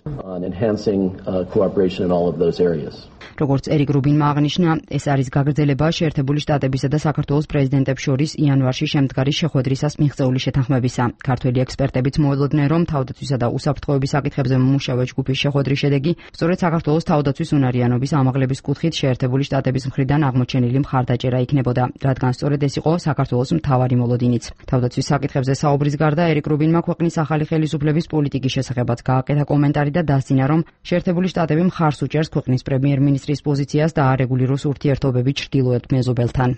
როგორც ერიკ რუბინმა აღნიშნა, ეს არის გაგრძელება შეერთებული შტატებისა და საქართველოს პრეზიდენტებს შორის იანვარში შემდგარი შეხვედრისას მიღწეული შეთანხმებისა. ქართველი ექსპერტებიც მოელოდნენ, რომ თავდაცვისა და უსაფრთხოების საკითხებზე მომუშავე ჯგუფის შეხვედრის შედეგი სწორედ საქართველოს თავდაცვის უნარიანობის ამაღლების კუთხით შეერთებული შტატების მხრიდან აღმოჩენილი მხარდაჭერა იქნებოდა, რადგან სწორედ ეს იყო საქართველოს მთავარი მოლოდინიც. თავდაცვის საკითხებზე საუბრის გარდა ერიკ რუბინმა ქვეყნის ახალი ხელისუფლების პოლიტიკის შესახებაც გააკეთა კომენტარი და დასძინა, რომ შეერთებული შტატები მხარს უჭერს ქვეყნის პრემიერ-მინისტრის პოზიციას და არეგულიროს ურთიერთობები ჩრდილოეთ მეზობელთან.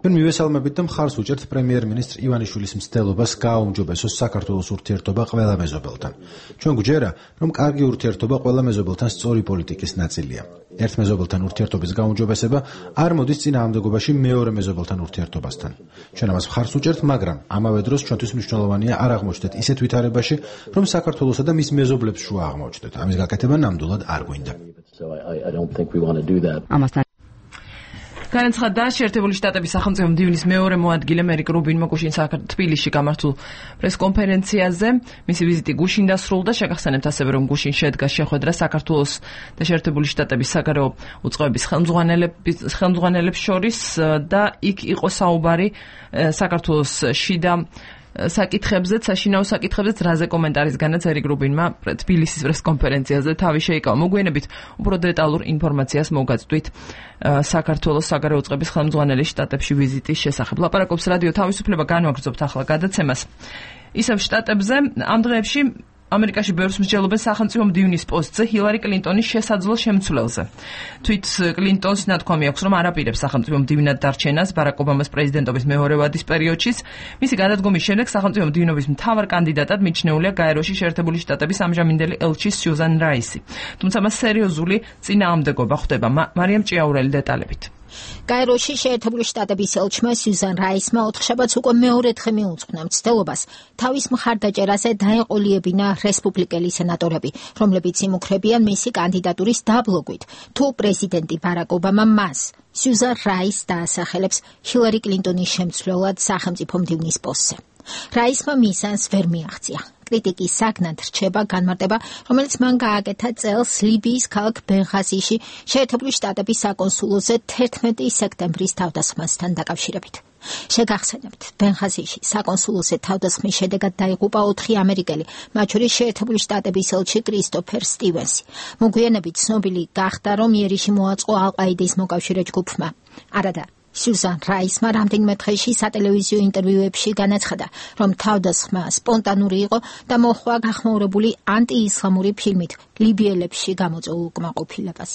ჩვენ მივესალმებით და მხარს უჭერთ პრემიერ-მინისტრ ივანიშვილის მცდელობას გააუმჯობესოს საქართველოს ურთიერთობა ყველა მეზობელთან. ჩვენ გვჯერა, რომ კარგი ურთიერთობა ყველა მეზობელთან სწორი პოლიტიკის ნაწილია. ერთ მეზობელთან ურთიერთობის გაუმჯობესება არ მოდის წინააღმდეგობაში მეორე მეზობელთან ურთიერთობასთან. ჩვენ ამას მხარს უჭერთ, მაგრამ ამავე დროს ჩვენთვის მნიშვნელოვანია არ აღმოჩნდეთ ისეთ ვითარებაში, რომ საქართველოსა და მის მეზობლებს შუა აღმოჩნდეთ. ამის გაკეთება ნამდვილად არ გვინდა. ამასთან განაცხადა შეერთებული შტატების სახელმწიფო მდივნის მეორე მოადგილე ერიკ რუბინმა გუშინ თბილისში გამართულ პრესკონფერენციაზე. მისი ვიზიტი გუშინ დასრულდა. შეგახსენებთ ასევე, რომ გუშინ შედგა შეხვედრა საქართველოს და შეერთებული შტატების საგარეო უწყებების ხელმძღვანელებს შორის და იქ იყო საუბარი საქართველოს შიდა საკითხებზე, საშინაო საკითხებზე, რაზე კომენტარის განაც ერიკ რუბინმა თბილისის პრესკონფერენციაზე თავი შეიკავა. მოგვიანებით უფრო დეტალურ ინფორმაციას მოგაწვით საქართველოს საგარეო უწყების ხელმძღვანელის შტატებში ვიზიტის შესახებ. ლაპარაკობს რადიო თავისუფლება, განვაგრძობთ ახლა გადაცემას. ისევ შტატებზე ამ დღეებში ამერიკაში ბევრს მსჯელობენ სახელმწიფო მდივნის პოსტზე ჰილარი კლინტონის შესაძლო შემცვლელზე. თვით კლინტონს ნათქვამი აქვს, რომ არ აპირებს სახელმწიფო მდივნად დარჩენას ბარაკ ობამას პრეზიდენტობის მეორე ვადის პერიოდშიც. მისი გადადგომის შემდეგ სახელმწიფო მდივნობის მთავარ კანდიდატად მიჩნეულია გაეროში შეერთებული შტატების ამჟამინდელი ელჩი სიუზან რაისი. თუმცა მას სერიოზული წინააღმდეგობა ხვდება. მარიამ ჭიაურელი დეტალებით. კაიროში შეერთებული შტატების ელჩმა სიუზან რაისმა ოთხშაბათს უკვე მეორედხე მიუძღვნა მცდელობას თავის მხარდაჭერაზე დაეყოლიებინა რესპუბლიკელი სენატორები, რომლებიც იმუქრებიან მისი კანდიდატურის დაბლოგვით, თუ პრეზიდენტი ბარაკ ობამა მას სიუზან რაისს დაასახელებს ჰილარი კლინტონის შემცვლელად სახელმწიფო მდივნის პოსტზე. რაისმა მიზანს ვერ მიაღწია. კრიტიკის საგნად რჩება განმარტება, რომელიც მან გააკეთა წელს ლიბიის ქალაქ ბენღაზიში შეერთებული შტატების საკონსულოზე თერთმეტი სექტემბრის თავდასხმასთან დაკავშირებით. შეგახსენებთ, ბენღაზიში საკონსულოზე თავდასხმის შედეგად დაიღუპა ოთხი ამერიკელი, მათ შორის შეერთებული შტატების ელჩი კრისტოფერ სტივენსი. მოგვიანებით ცნობილი გახდა, რომ იერიში მოაწყო ალ-ყაიდის მოკავშირე ჯგუფმა. არადა სიუზან რაისმა რამდენიმე დღეში სატელევიზიო ინტერვიუებში განაცხადა, რომ თავდასხმა სპონტანური იყო და მოჰყვა გახმაურებული ანტიისლამური ფილმით ლიბიელებში გამოწვეულ უკმაყოფილებას.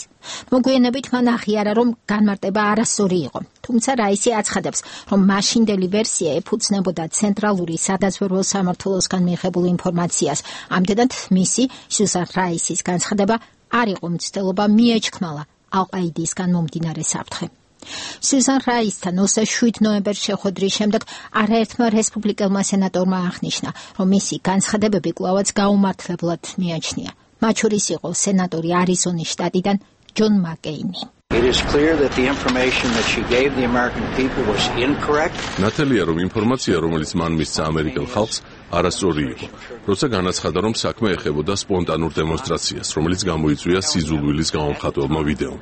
მოგვიანებით მან აღიარა, რომ განმარტება არასწორი იყო, თუმცა რაისი აცხადებს, რომ მაშინდელი ვერსია ეფუძნებოდა ცენტრალური სადაზვერვო სამმართველოსგან მიღებულ ინფორმაციას. ამდენად მისი სიუზან რაისის განცხადება არ იყო მცდელობა, მიეჩქმალა ალ-ყაიდისგან მომდინარე საფრთხე. სიუზან რაისთან ოცდაშვიდ ნოემბერს შეხვედრის შემდეგ არაერთმა რესპუბლიკელმა სენატორმა აღნიშნა, რომ მისი განცხადებები კვლავაც გაუმართლებლად მიაჩნია. მათ შორის იყო სენატორი არიზონის შტატიდან ჯონ მაკეინი. It is clear that the information that she gave the American people was incorrect. ნათელია, რომ ინფორმაცია, რომელიც მან მისცა ამერიკელ ხალხს, არასწორი იყო. როცა განაცხადა, რომ საქმე ეხებოდა სპონტანურ დემონსტრაციას, რომელიც გამოიწვია სიზულვილის გამომხატველმა ვიდეომ.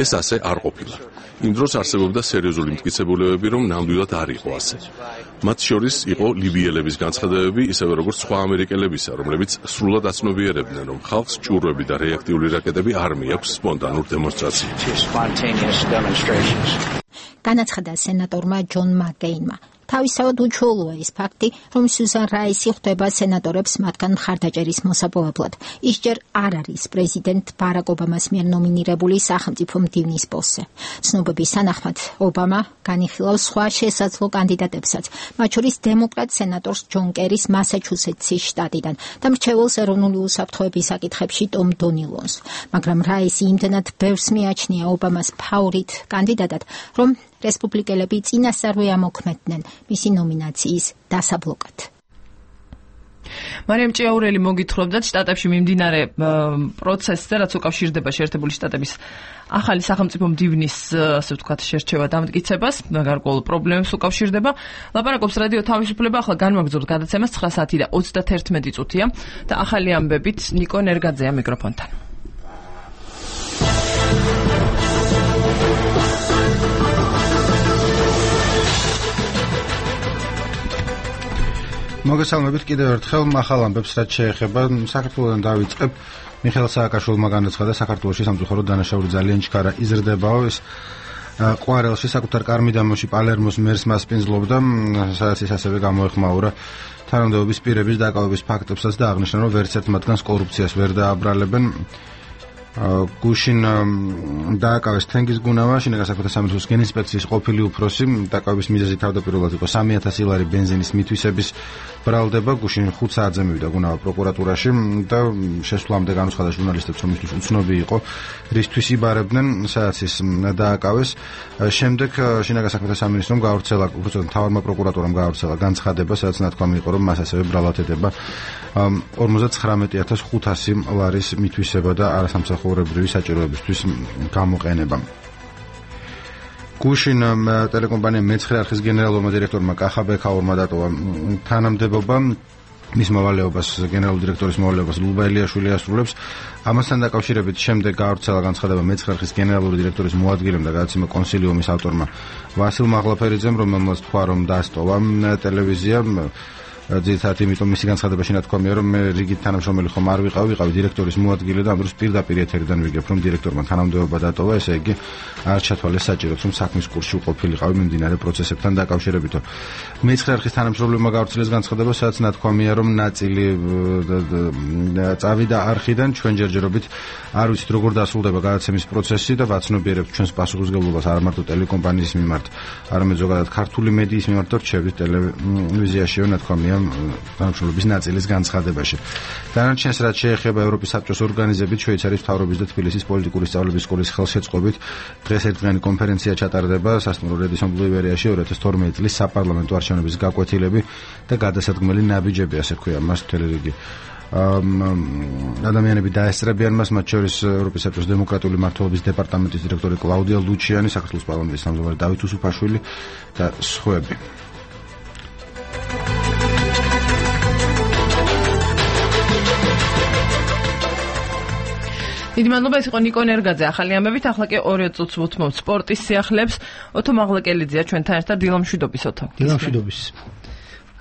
ეს ასე არ ყოფილა. იმ დროს არსებობდა სერიოზული მტკიცებულებები, რომ ნამდვილად არ იყო ასე. მათ შორის იყო ლიბიელების განცხადებები, ისევე როგორც სხვა ამერიკელებისა, რომლებიც სრულად აცნობიერებდნენ, რომ ხალხს ჭურვები და რეაქტიული რაკეტები არ მიაქვს სპონტანურ დემონსტრაციებში. განაცხადა სენატორმა ჯონ მაკეინმა. თავისთავად უჩვეულოა ის ფაქტი, რომ სიუზან რაისი ხვდება სენატორებს მათგან მხარდაჭერის მოსაპოვებლად. ის ჯერ არ არის პრეზიდენტ ბარაკ ობამას მიერ ნომინირებული სახელმწიფო მდივნის პოსტზე. ცნობების თანახმად, ობამა განიხილავს სხვა შესაძლო კანდიდატებსაც, მათ შორის დემოკრატ სენატორს ჯონ კერის მასაჩუსეტსის შტატიდან და მრჩეველს ეროვნული უსაფრთხოების საკითხებში ტომ დონილონს. მაგრამ რაისი იმდენად ბევრს მიაჩნია ობამას ფავორიტ კანდიდატად, რომ რესპუბლიკელები წინასწარვე ამოქმედდნენ მისი ნომინაციის დასაბლოკად. მარიამ ჭიაურელი მოგითხრობდათ შტატებში მიმდინარე პროცესზე, რაც უკავშირდება შეერთებული შტატების ახალი სახელმწიფო მდივნის, ასე ვთქვათ, შერჩევა დამტკიცებას, გარკვეულ პრობლემებს უკავშირდება. ლაპარაკობს რადიო თავისუფლება, ახლა განვაგრძობთ გადაცემას ცხრა საათი და ოცდათერთმეტი წუთია და ახალი ამბებით ნიკო ნერგაძეა მიკროფონთან. მოგესალმებით კიდევ ერთხელ ახალ ამბებს, რაც შეეხება საქართველოსთან დავიწყებ. მიხეილ სააკაშვილმა განაცხადა, საქართველოში სამწუხაროდ დანაშაული ძალიან ჩქარა იზრდებაო. ეს ყვარელში საკუთარ კარმიდამოში პალერმოს მერს მასპინძლობდა, სადაც ის ასევე გამოეხმაურა თანამდებობის პირების დაკავების ფაქტებსაც და აღნიშნა, რომ ვერც ერთ მათგანს კორუფციას ვერ დააბრალებენ. გუშინ დააკავეს თენგიზ გუნავა, შინაგან საქმეთა სამინისტროს გენინსპექციის ყოფილი უფროსი. დაკავების მიზეზი თავდაპირველად იყო სამი ათასი ლარი ბენზინის მითვისების ბრალდება. გუშინ ხუთ საათზე მივიდა გუნავა პროკურატურაში და შესვლამდე განუცხადა ჟურნალისტებს, რომ მისთვის უცნობი იყო რისთვის იბარებდნენ, სადაც ის დააკავეს. შემდეგ შინაგან საქმეთა სამინისტრომ გაავრცელა, უბრალოდ მთავარმა პროკურატურამ გაავრცელა განცხადება, სადაც ნათქვამი იყო, რომ მას ასევე ბრალათდება ორმოცდათხრამეტი ათას ხუთასი ლარის მითვისება და არასამსახურებრივი საჭიროებისთვის გამოყენება. გუშინ ტელეკომპანია მეცხრე არხის გენერალურმა დირექტორმა კახა ბექაურმა დატოვა თანამდებობა. მის მოვალეობას, გენერალური დირექტორის მოვალეობას ლუბა ელიაშვილი ასრულებს. ამასთან დაკავშირებით შემდეგ გაავრცელა განცხადება მეცხრე არხის გენერალური დირექტორის მოადგილემ და გადაცემა კონსილიუმის ავტორმა ვასილ მაღლაფერიძემ, რომელმაც თქვა, რომ დასტოვა ტელევიზია. ძირითადად იმიტომ მისი განცხადებაში ნათქვამია, რომ მე რიგით თანამშრომელი ხომ არ ვიყავ, ვიყავი დირექტორის მოადგილე და ამ დროს პირდაპირ ეთერიდან ვიგებ, რომ დირექტორმა თანამდებობა დატოვა, ესე იგი არ ჩათვალეს საჭიროდ, რომ საქმის კურსში უყოფილიყავი მიმდინარე პროცესებთან დაკავშირებითო. მეცხრე არხის თანამშრომლებმა გავრცელეს განცხადება, სადაც ნათქვამია, რომ ნაწილი წავიდა არხიდან, ჩვენ ჯერჯერობით არ ვიცით როგორ დასრულდება გადაცემის პროცესი და ვაცნობიერებთ ჩვენს პასუხისმგებლობას არა მარტო ტელეკომპანიის მიმართ, არამედ ზოგადად ქართული მედიის მიმართ და რჩევით ტელევიზიაშივე ნათქვამია თანამშრომლობის ნაწილის განცხადებაში. დანარჩენს რაც შეეხება ევროპის საბჭოს ორგანიზებით, შვეიცარიის მთავრობის და თბილისის პოლიტიკური სწავლების სკოლის ხელშეწყობით დღეს ერთდღიანი კონფერენცია ჩატარდება სასტუმრო რედისონ ბულივარიაში ორი ათას თორმეტი წლის საპარლამენტო არჩევნების გაკვეთილები და გადასადგმელი ნაბიჯები, ასე ქვია მას მთელი რიგი ადამიანები დაესწრებიან მას, მათ შორის ევროპის საბჭოს დემოკრატიული მმართველობის დეპარტამენტის დირექტორი კლაუდია ლუჩიანი, საქართველოს პარლამენტის თავმჯდომარე დავით უსუფაშვილი და სხვები. დიდი მადლობა, ეს იყო ნიკო ნერგაძე ახალი ამბებით. ახლა კი ორი წუთს ვუთმობთ სპორტის სიახლეებს. ოთო მაღლაკელიძეა ჩვენთან ერთად. დილამშვიდობის ოთო. დილამშვიდობის.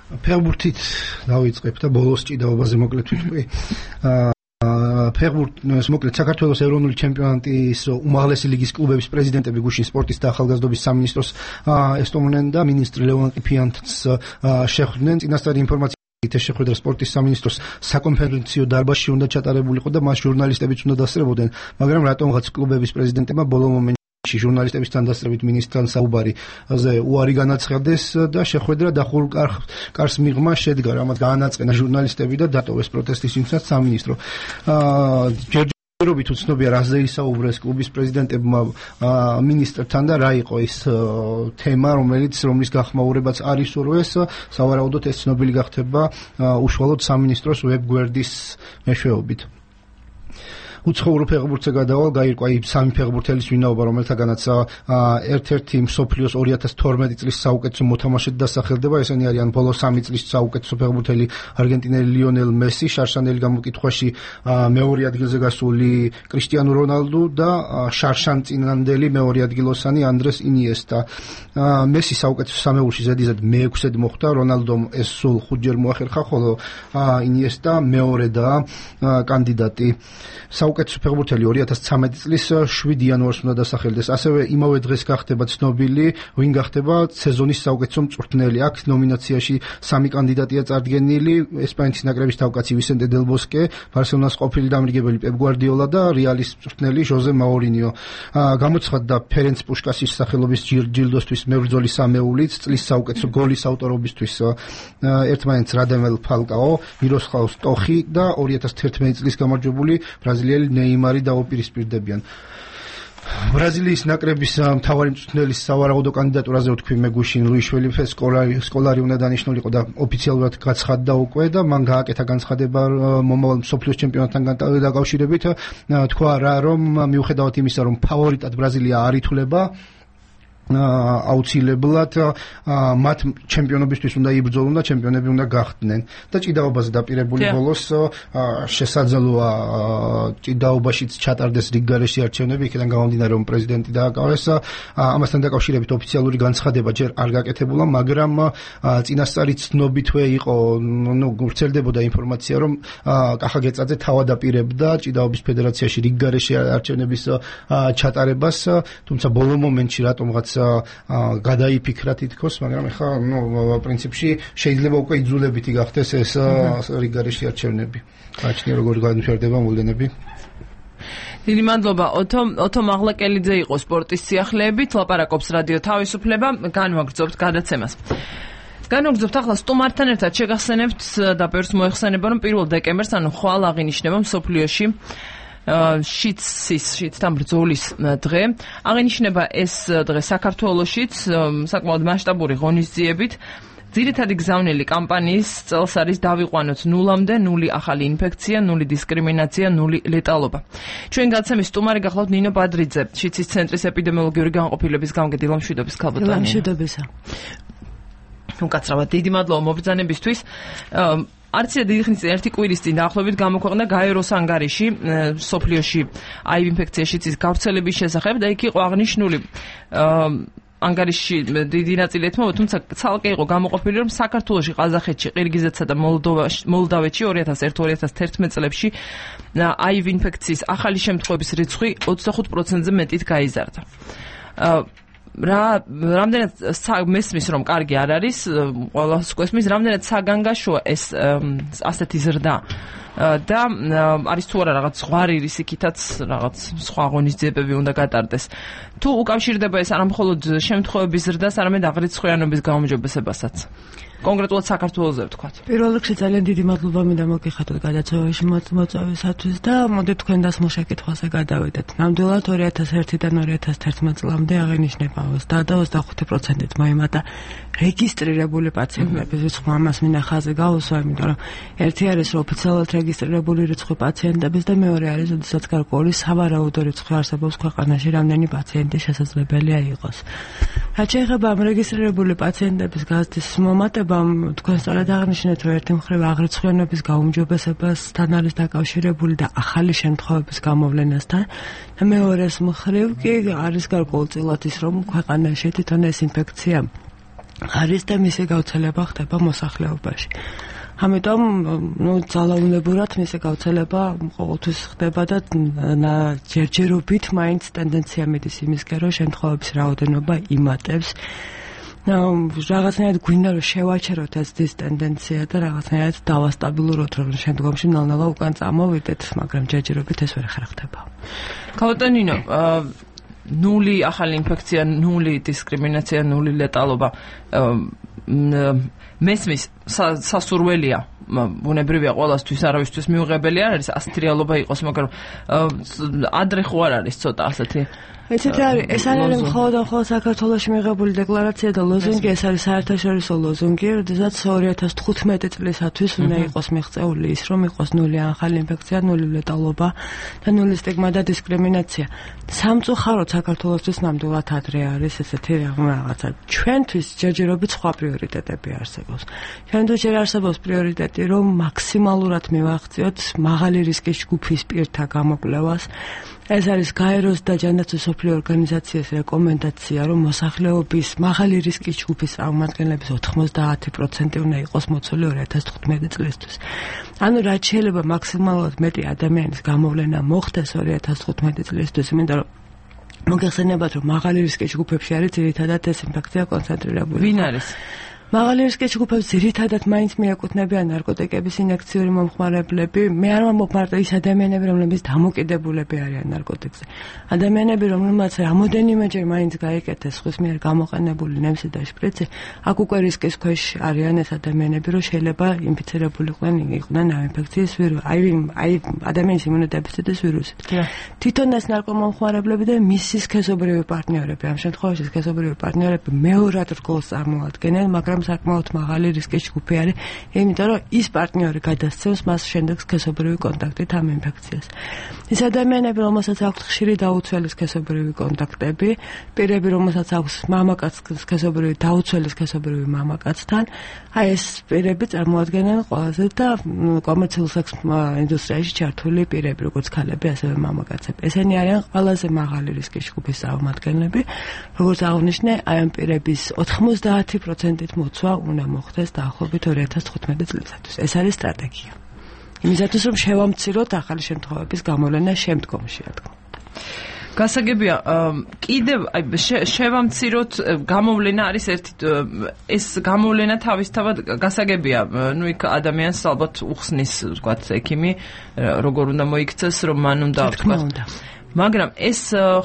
ფეხბურთით დავიწყებ და ბოლოს ჭიდაობაზე მოკლედ ვიტყვი. ფეხბურთის მოკლედ საქართველოს ეროვნული ჩემპიონატის უმაღლესი ლიგის კლუბების პრეზიდენტები გუშინ სპორტის და ახალგაზრდობის სამინისტროს ესტუმრნენ და მინისტრი ლევან ყიფიანთს შეხვდნენ. წინასწარი ინფორმაცია ეს შეხვედრა სპორტის სამინისტროს საკონფერენციო დარბაზში უნდა ჩატარებულიყო და მას ჟურნალისტებიც უნდა დასწრებოდნენ, მაგრამ რატომღაც კლუბების პრეზიდენტებმა ბოლო მომენტში ჟურნალისტებისთან დასწრებით მინისტრთან საუბარიზე უარი განაცხადეს და შეხვედრა დახურულ კარს მიღმა შედგა, რამაც გაანაწყენა ჟურნალისტები და დატოვეს პროტესტის იმცნად სამინისტრო. ჯერჯერობით უცნობია რაზე ისაუბრეს კლუბის პრეზიდენტებმა მინისტრთან და რა იყო ის თემა, რომელიც რომლის გახმაურებაც არ ისურვეს. სავარაუდოდ ეს ცნობილი გახდება უშუალოდ სამინისტროს ვებგვერდის მეშვეობით. უცხოურ ფეხბურთზე გადავალ, გაირკვა იმ სამი ფეხბურთელის ვინაობა, რომელთაგანაც ერთ-ერთი მსოფლიოს ორი ათას თორმეტი წლის საუკეთესო მოთამაშედ დასახელდება. ესენი არიან ბოლო სამი წლის საუკეთესო ფეხბურთელი არგენტინელი ლიონელ მესი, შარშანელი გამოკითხვაში მეორე ადგილზე გასული კრისტიანო რონალდუ და შარშანწინანდელი მეორე ადგილოსანი ანდრეს ინიესტა. მესი საუკეთესო სამეულში ზედიზედ მეექვსედ მოხვდა, რონალდომ ეს სულ ხუთჯერ მოახერხა, ხოლო ინიესტა მეორე და კანდიდატი. საუკეთესო ფეხბურთელი ორი ათას ცხრამეტი წლის შვიდი იანვარს უნდა დასახელდეს. ასევე იმავე დღეს გახდება ცნობილი, ვინ გახდება სეზონის საუკეთესო მწვრთნელი. აქ ნომინაციაში სამი კანდიდატია წარდგენილი: ესპანეთის ნაკრების თავკაცი ვისენტე დელ ბოსკე, ბარსელონას ყოფილი დამრიგებელი პეპ გვარდიოლა და რეალის მწვრთნელი ჟოზე მაურინიო. გამოცხადდა ფერენც პუშკასის სახელობის ჯილდოსთვის მებრძოლი სამეულით, წლის საუკეთესო გოლის ავტორობისთვის ერთმანეთს რადამელ ფალკაო, მიროსლავ სტოხი და ორი ათას თერთმეტი წლის გამარჯვებული ბრაზილიელი ნეიმარი დაუპირისპირდებიან. ბრაზილიის ნაკრების მთავარი მწვრთნელის სავარაუდო კანდიდატურაზე ვთქვი მე გუშინ ლუის შვილი სკოლარი უნდა დანიშნულიყო და ოფიციალურად გაცხადდა უკვე და მან გააკეთა განცხადება მომავალ მსოფლიოს ჩემპიონატთან დაკავშირებით. თქვა რა, რომ მიუხედავად იმისა, რომ ფავორიტად ბრაზილია არ ითვლება, აუცილებლად მათ ჩემპიონობისთვის უნდა იბრძოლონ და ჩემპიონები უნდა გახდნენ და ჭიდაობაზე დაპირებული ბოლოს შესაძლოა ჭიდაობაშიც ჩატარდეს რიგგარეშე არჩევნები, იქიდან გამომდინარე რომ პრეზიდენტი დააკავეს. ამასთან დაკავშირებით ოფიციალური განცხადება ჯერ არ გაკეთებულა, მაგრამ წინასწარი ცნობითვე იყო, ნუ ვრცელდებოდა ინფორმაცია, რომ კახა გეწაძე თავად აპირებდა ჭიდაობის ფედერაციაში რიგგარეშე არჩევნების ჩატარებას, თუმცა ბოლო მომენტში რატომღაც გადაიფიქრა თითქოს, მაგრამ ეხლა ნუ პრინციპში შეიძლება უკვე იძულებითი გახდეს ეს რიგგარეშე არჩევნები. გააჩნია როგორ განვითარდება მოვლენები. დიდი მადლობა. ოთო ოთო მაღლაკელიძე იყო სპორტის სიახლეებით, ლაპარაკობს რადიო თავისუფლება, განვაგრძობთ გადაცემას. განვაგრძობთ ახლა სტუმართან ერთად შეგახსენებთ და ბევრს მოეხსენება, რომ პირველ დეკემბერს, ანუ ხვალ აღინიშნება მსოფლიოში შიცის შიცთან ბრძოლის დღე. აღინიშნება ეს დღე საქართველოშიც საკმაოდ მასშტაბური ღონისძიებით. ძირითადი გზავნილი კამპანიის წელს არის დავიყვანოთ ნულამდე, ნული ახალი ინფექცია, ნული დისკრიმინაცია, ნული ლეტალობა. ჩვენ გაცემის სტუმარი გახლავთ ნინო ბადრიძე, შიცის ცენტრის ეპიდემიოლოგიური განყოფილების გამგე. დილამშვიდობის ქალბატონი. დილამშვიდობისა. უკაცრავად დიდი მადლობა მობრძანებისთვის. არცია დიდი ხნის წინ ერთი კვირის წინ დაახლოებით გამოქვეყნდა გაეროს ანგარიში სოფლიოში აივ ინფექციაში ცის გავრცელების შესახებ და იქ იყო აღნიშნული ანგარიში დიდი ნაწილი ეთმობა, თუმცა ცალკე იყო გამოყოფილი, რომ საქართველოში, ყაზახეთში, ყირგიზეთსა და მოლდავეთში ორი ათას ერთი ორი ათას თერთმეტი წლებში აივ ინფექციის ახალი შემთხვევების რიცხვი ოცდახუთ პროცენტზე მეტით გაიზარდა. რა რამდენად მესმის რომ კარგი არ არის, ყველას გვესმის, რამდენად საგანგაშოა ეს ასეთი ზრდა და არის თუ არა რაღაც ზღვარი რისიქითაც რაღაც სხვა ღონისძიებები უნდა გატარდეს. თუ უკავშირდება ეს არა მხოლოდ შემთხვევების ზრდას, არამედ აღრიცხვიანობის გაუმჯობესებასაც. კონკრეტულად საქართველოზე ვთქვათ. პირველ რიგში ძალიან დიდი მადლობა მინდა მოგიხადოთ გადაცემაში მოწვევისათვის და მოდით თქვენ დასმულ შეკითხვაზე გადავიდეთ. ნამდვილად ორი ათას ერთიდან ორი ათას თერთმეტ წლამდე აღინიშნება ოცდაათ და ოცდახუთი პროცენტით მოიმატა რეგისტრირებული პაციენტების რიცხვი. ამას მინდა ხაზი გავუსვა, იმიტომ რომ ერთი არის რომ ოფიციალურად რეგისტრირებული რიცხვი პაციენტების და მეორე არის როდესაც გარკვეული სავარაუდო რიცხვი არსებობს ქვეყანაში, რამდენი პაციენტი შესაძლებელია იყოს. რაც შეეხება ამ რეგისტრირებული პაციენტების გაზრდის მომატებამ, თქვენ სწორად აღნიშნეთ, რომ ერთი მხრივ აღრიცხვიანობის გაუმჯობესებასთან არის დაკავშირებული და ახალი შემთხვევების გამოვლენასთან და მეორეს მხრივ კი არის გარკვეულწილად ის, რომ ქვეყანაში თვითონ ეს ინფექცია არის და მისი გავრცელება ხდება მოსახლეობაში. ამიტომ ნუ ძალაუნებურად მისი გავრცელება ყოველთვის ხდება და ჯერჯერობით მაინც ტენდენცია მიდის იმისკენ, რომ შემთხვევების რაოდენობა იმატებს. რაღაცნაირად გვინდა რომ შევაჩეროთ ეს დის ტენდენცია და რაღაცნაირად დავასტაბილუროთ, რომ შემდგომში ნელ-ნელა უკან წამოვიდეთ, მაგრამ ჯერჯერობით ეს ვერ ხერხდება. ქალბატონინო, ნული ახალი ინფექცია, ნული დისკრიმინაცია, ნული ლეტალობა მესმის სასურველია, ბუნებრივია ყველასთვის, არავისთვის მიუღებელი არ არის ასეთი რეალობა იყოს, მაგრამ ადრე ხო არ არის ცოტა ასეთი ეცეთ არის, ეს არ არის მხოლოდ მხოლოდ საქართველოში მიღებული დეკლარაცია და ლოზუნგი, ეს არის საერთაშორისო ლოზუნგი, როდესაც ორი ათას თხუთმეტი წლისათვის უნდა იყოს მიღწეული ის, რომ იყოს ნული ახალი ინფექცია, ნული ლეტალობა და ნული სტიგმა და დისკრიმინაცია. სამწუხაროდ საქართველოსთვის ნამდვილად ადრე არის ესეთი რაღაცა. ჩვენთვის ჯერჯერობით სხვა პრიორიტეტები არსებობს. ჩვენთვის ჯერ არსებობს პრიორიტეტი, რომ მაქსიმალურად მივახციოთ მაღალი რისკის ჯგუფის პირთა გამოკვლევას. ეს არის გაეროს და ჯანდაცვის მსოფლიო ორგანიზაციის რეკომენდაცია, რომ მოსახლეობის მაღალი რისკის ჯგუფის წარმომადგენლების ოთხმოცდაათი პროცენტი უნდა იყოს მოცული ორი ათას თხუთმეტი წლისთვის. ანუ რაც შეიძლება მაქსიმალურად მეტი ადამიანის გამოვლენა მოხდეს ორი ათას თხუთმეტი წლისთვის, იმიტომ რომ მოგეხსენებათ, რომ მაღალი რისკის ჯგუფებში არის ძირითადად ეს ინფექცია კონცენტრირებული. ვინ არის? მაღალი რისკის ჯგუფებს ძირითადად მაინც მიეკუთვნებიან ნარკოტიკების ინექციური მომხმარებლები. მე არ ვამბობ მარტო ის ადამიანები, რომლებიც დამოკიდებულები არიან ნარკოტიკზე. ადამიანები, რომლებმაც რამოდენიმეჯერ მაინც გაიკეთეს სხვის მიერ გამოყენებული ნემსი და შპრიცი, აქ უკვე რისკის ქვეშ არიან ეს ადამიანები, რომ შეიძლება ინფიცირებულიყვნენ იყვნენ ამ ინფექციის ვირუსით, აი აი ადამიანის იმუნოდეფიციტის ვირუსით. თვითონ ეს ნარკომომხმარებლები და მისი სქესობრივი პარტნიორები, ამ შემთხვევაში სქესობრივი პარტნიორები მეორად რგოლს წარმოადგენენ, მაგრამ საკმაოდ მაღალი რისკის ჯგუფი არის, იმიტომ რომ ის პარტნიორი გადასცემს მას შემდეგ სქესობრივი კონტაქტით ამ ინფექციას. ის ადამიანები, რომელსაც აქვთ ხშირი დაუცველი სქესობრივი კონტაქტები, პირები, რომელსაც აქვს მამაკაც სქესობრივი დაუცველი სქესობრივი მამაკაცთან, აი ეს პირები წარმოადგენენ ყველაზე და კომერციულ სექს ინდუსტრიაში ჩართული პირები, როგორც ქალები, ასევე მამაკაცები. ესენი არიან ყველაზე მაღალი რისკის ჯგუფის წარმომადგენლები, როგორც აღნიშნე, აი ამ პირების ოთხმოცდაათი პროცენტით მოცვა უნდა მოხდეს დაახლოებით ორი ათას თხუთმეტი წლისათვის. ეს არის სტრატეგია. იმისათვის, რომ შევამციროთ ახალი შემთხვევების გამოვლენა შემდგომში, რა თქმა უნდა. გასაგებია, კიდევ აი შევამციროთ გამოვლენა არის ერთი ეს გამოვლენა თავისთავად გასაგებია, ნუ იქ ადამიანს ალბათ უხსნის, ვთქვათ, ექიმი, როგორ უნდა მოიქცეს, რომ მან უნდა ვთქვათ. მაგრამ ეს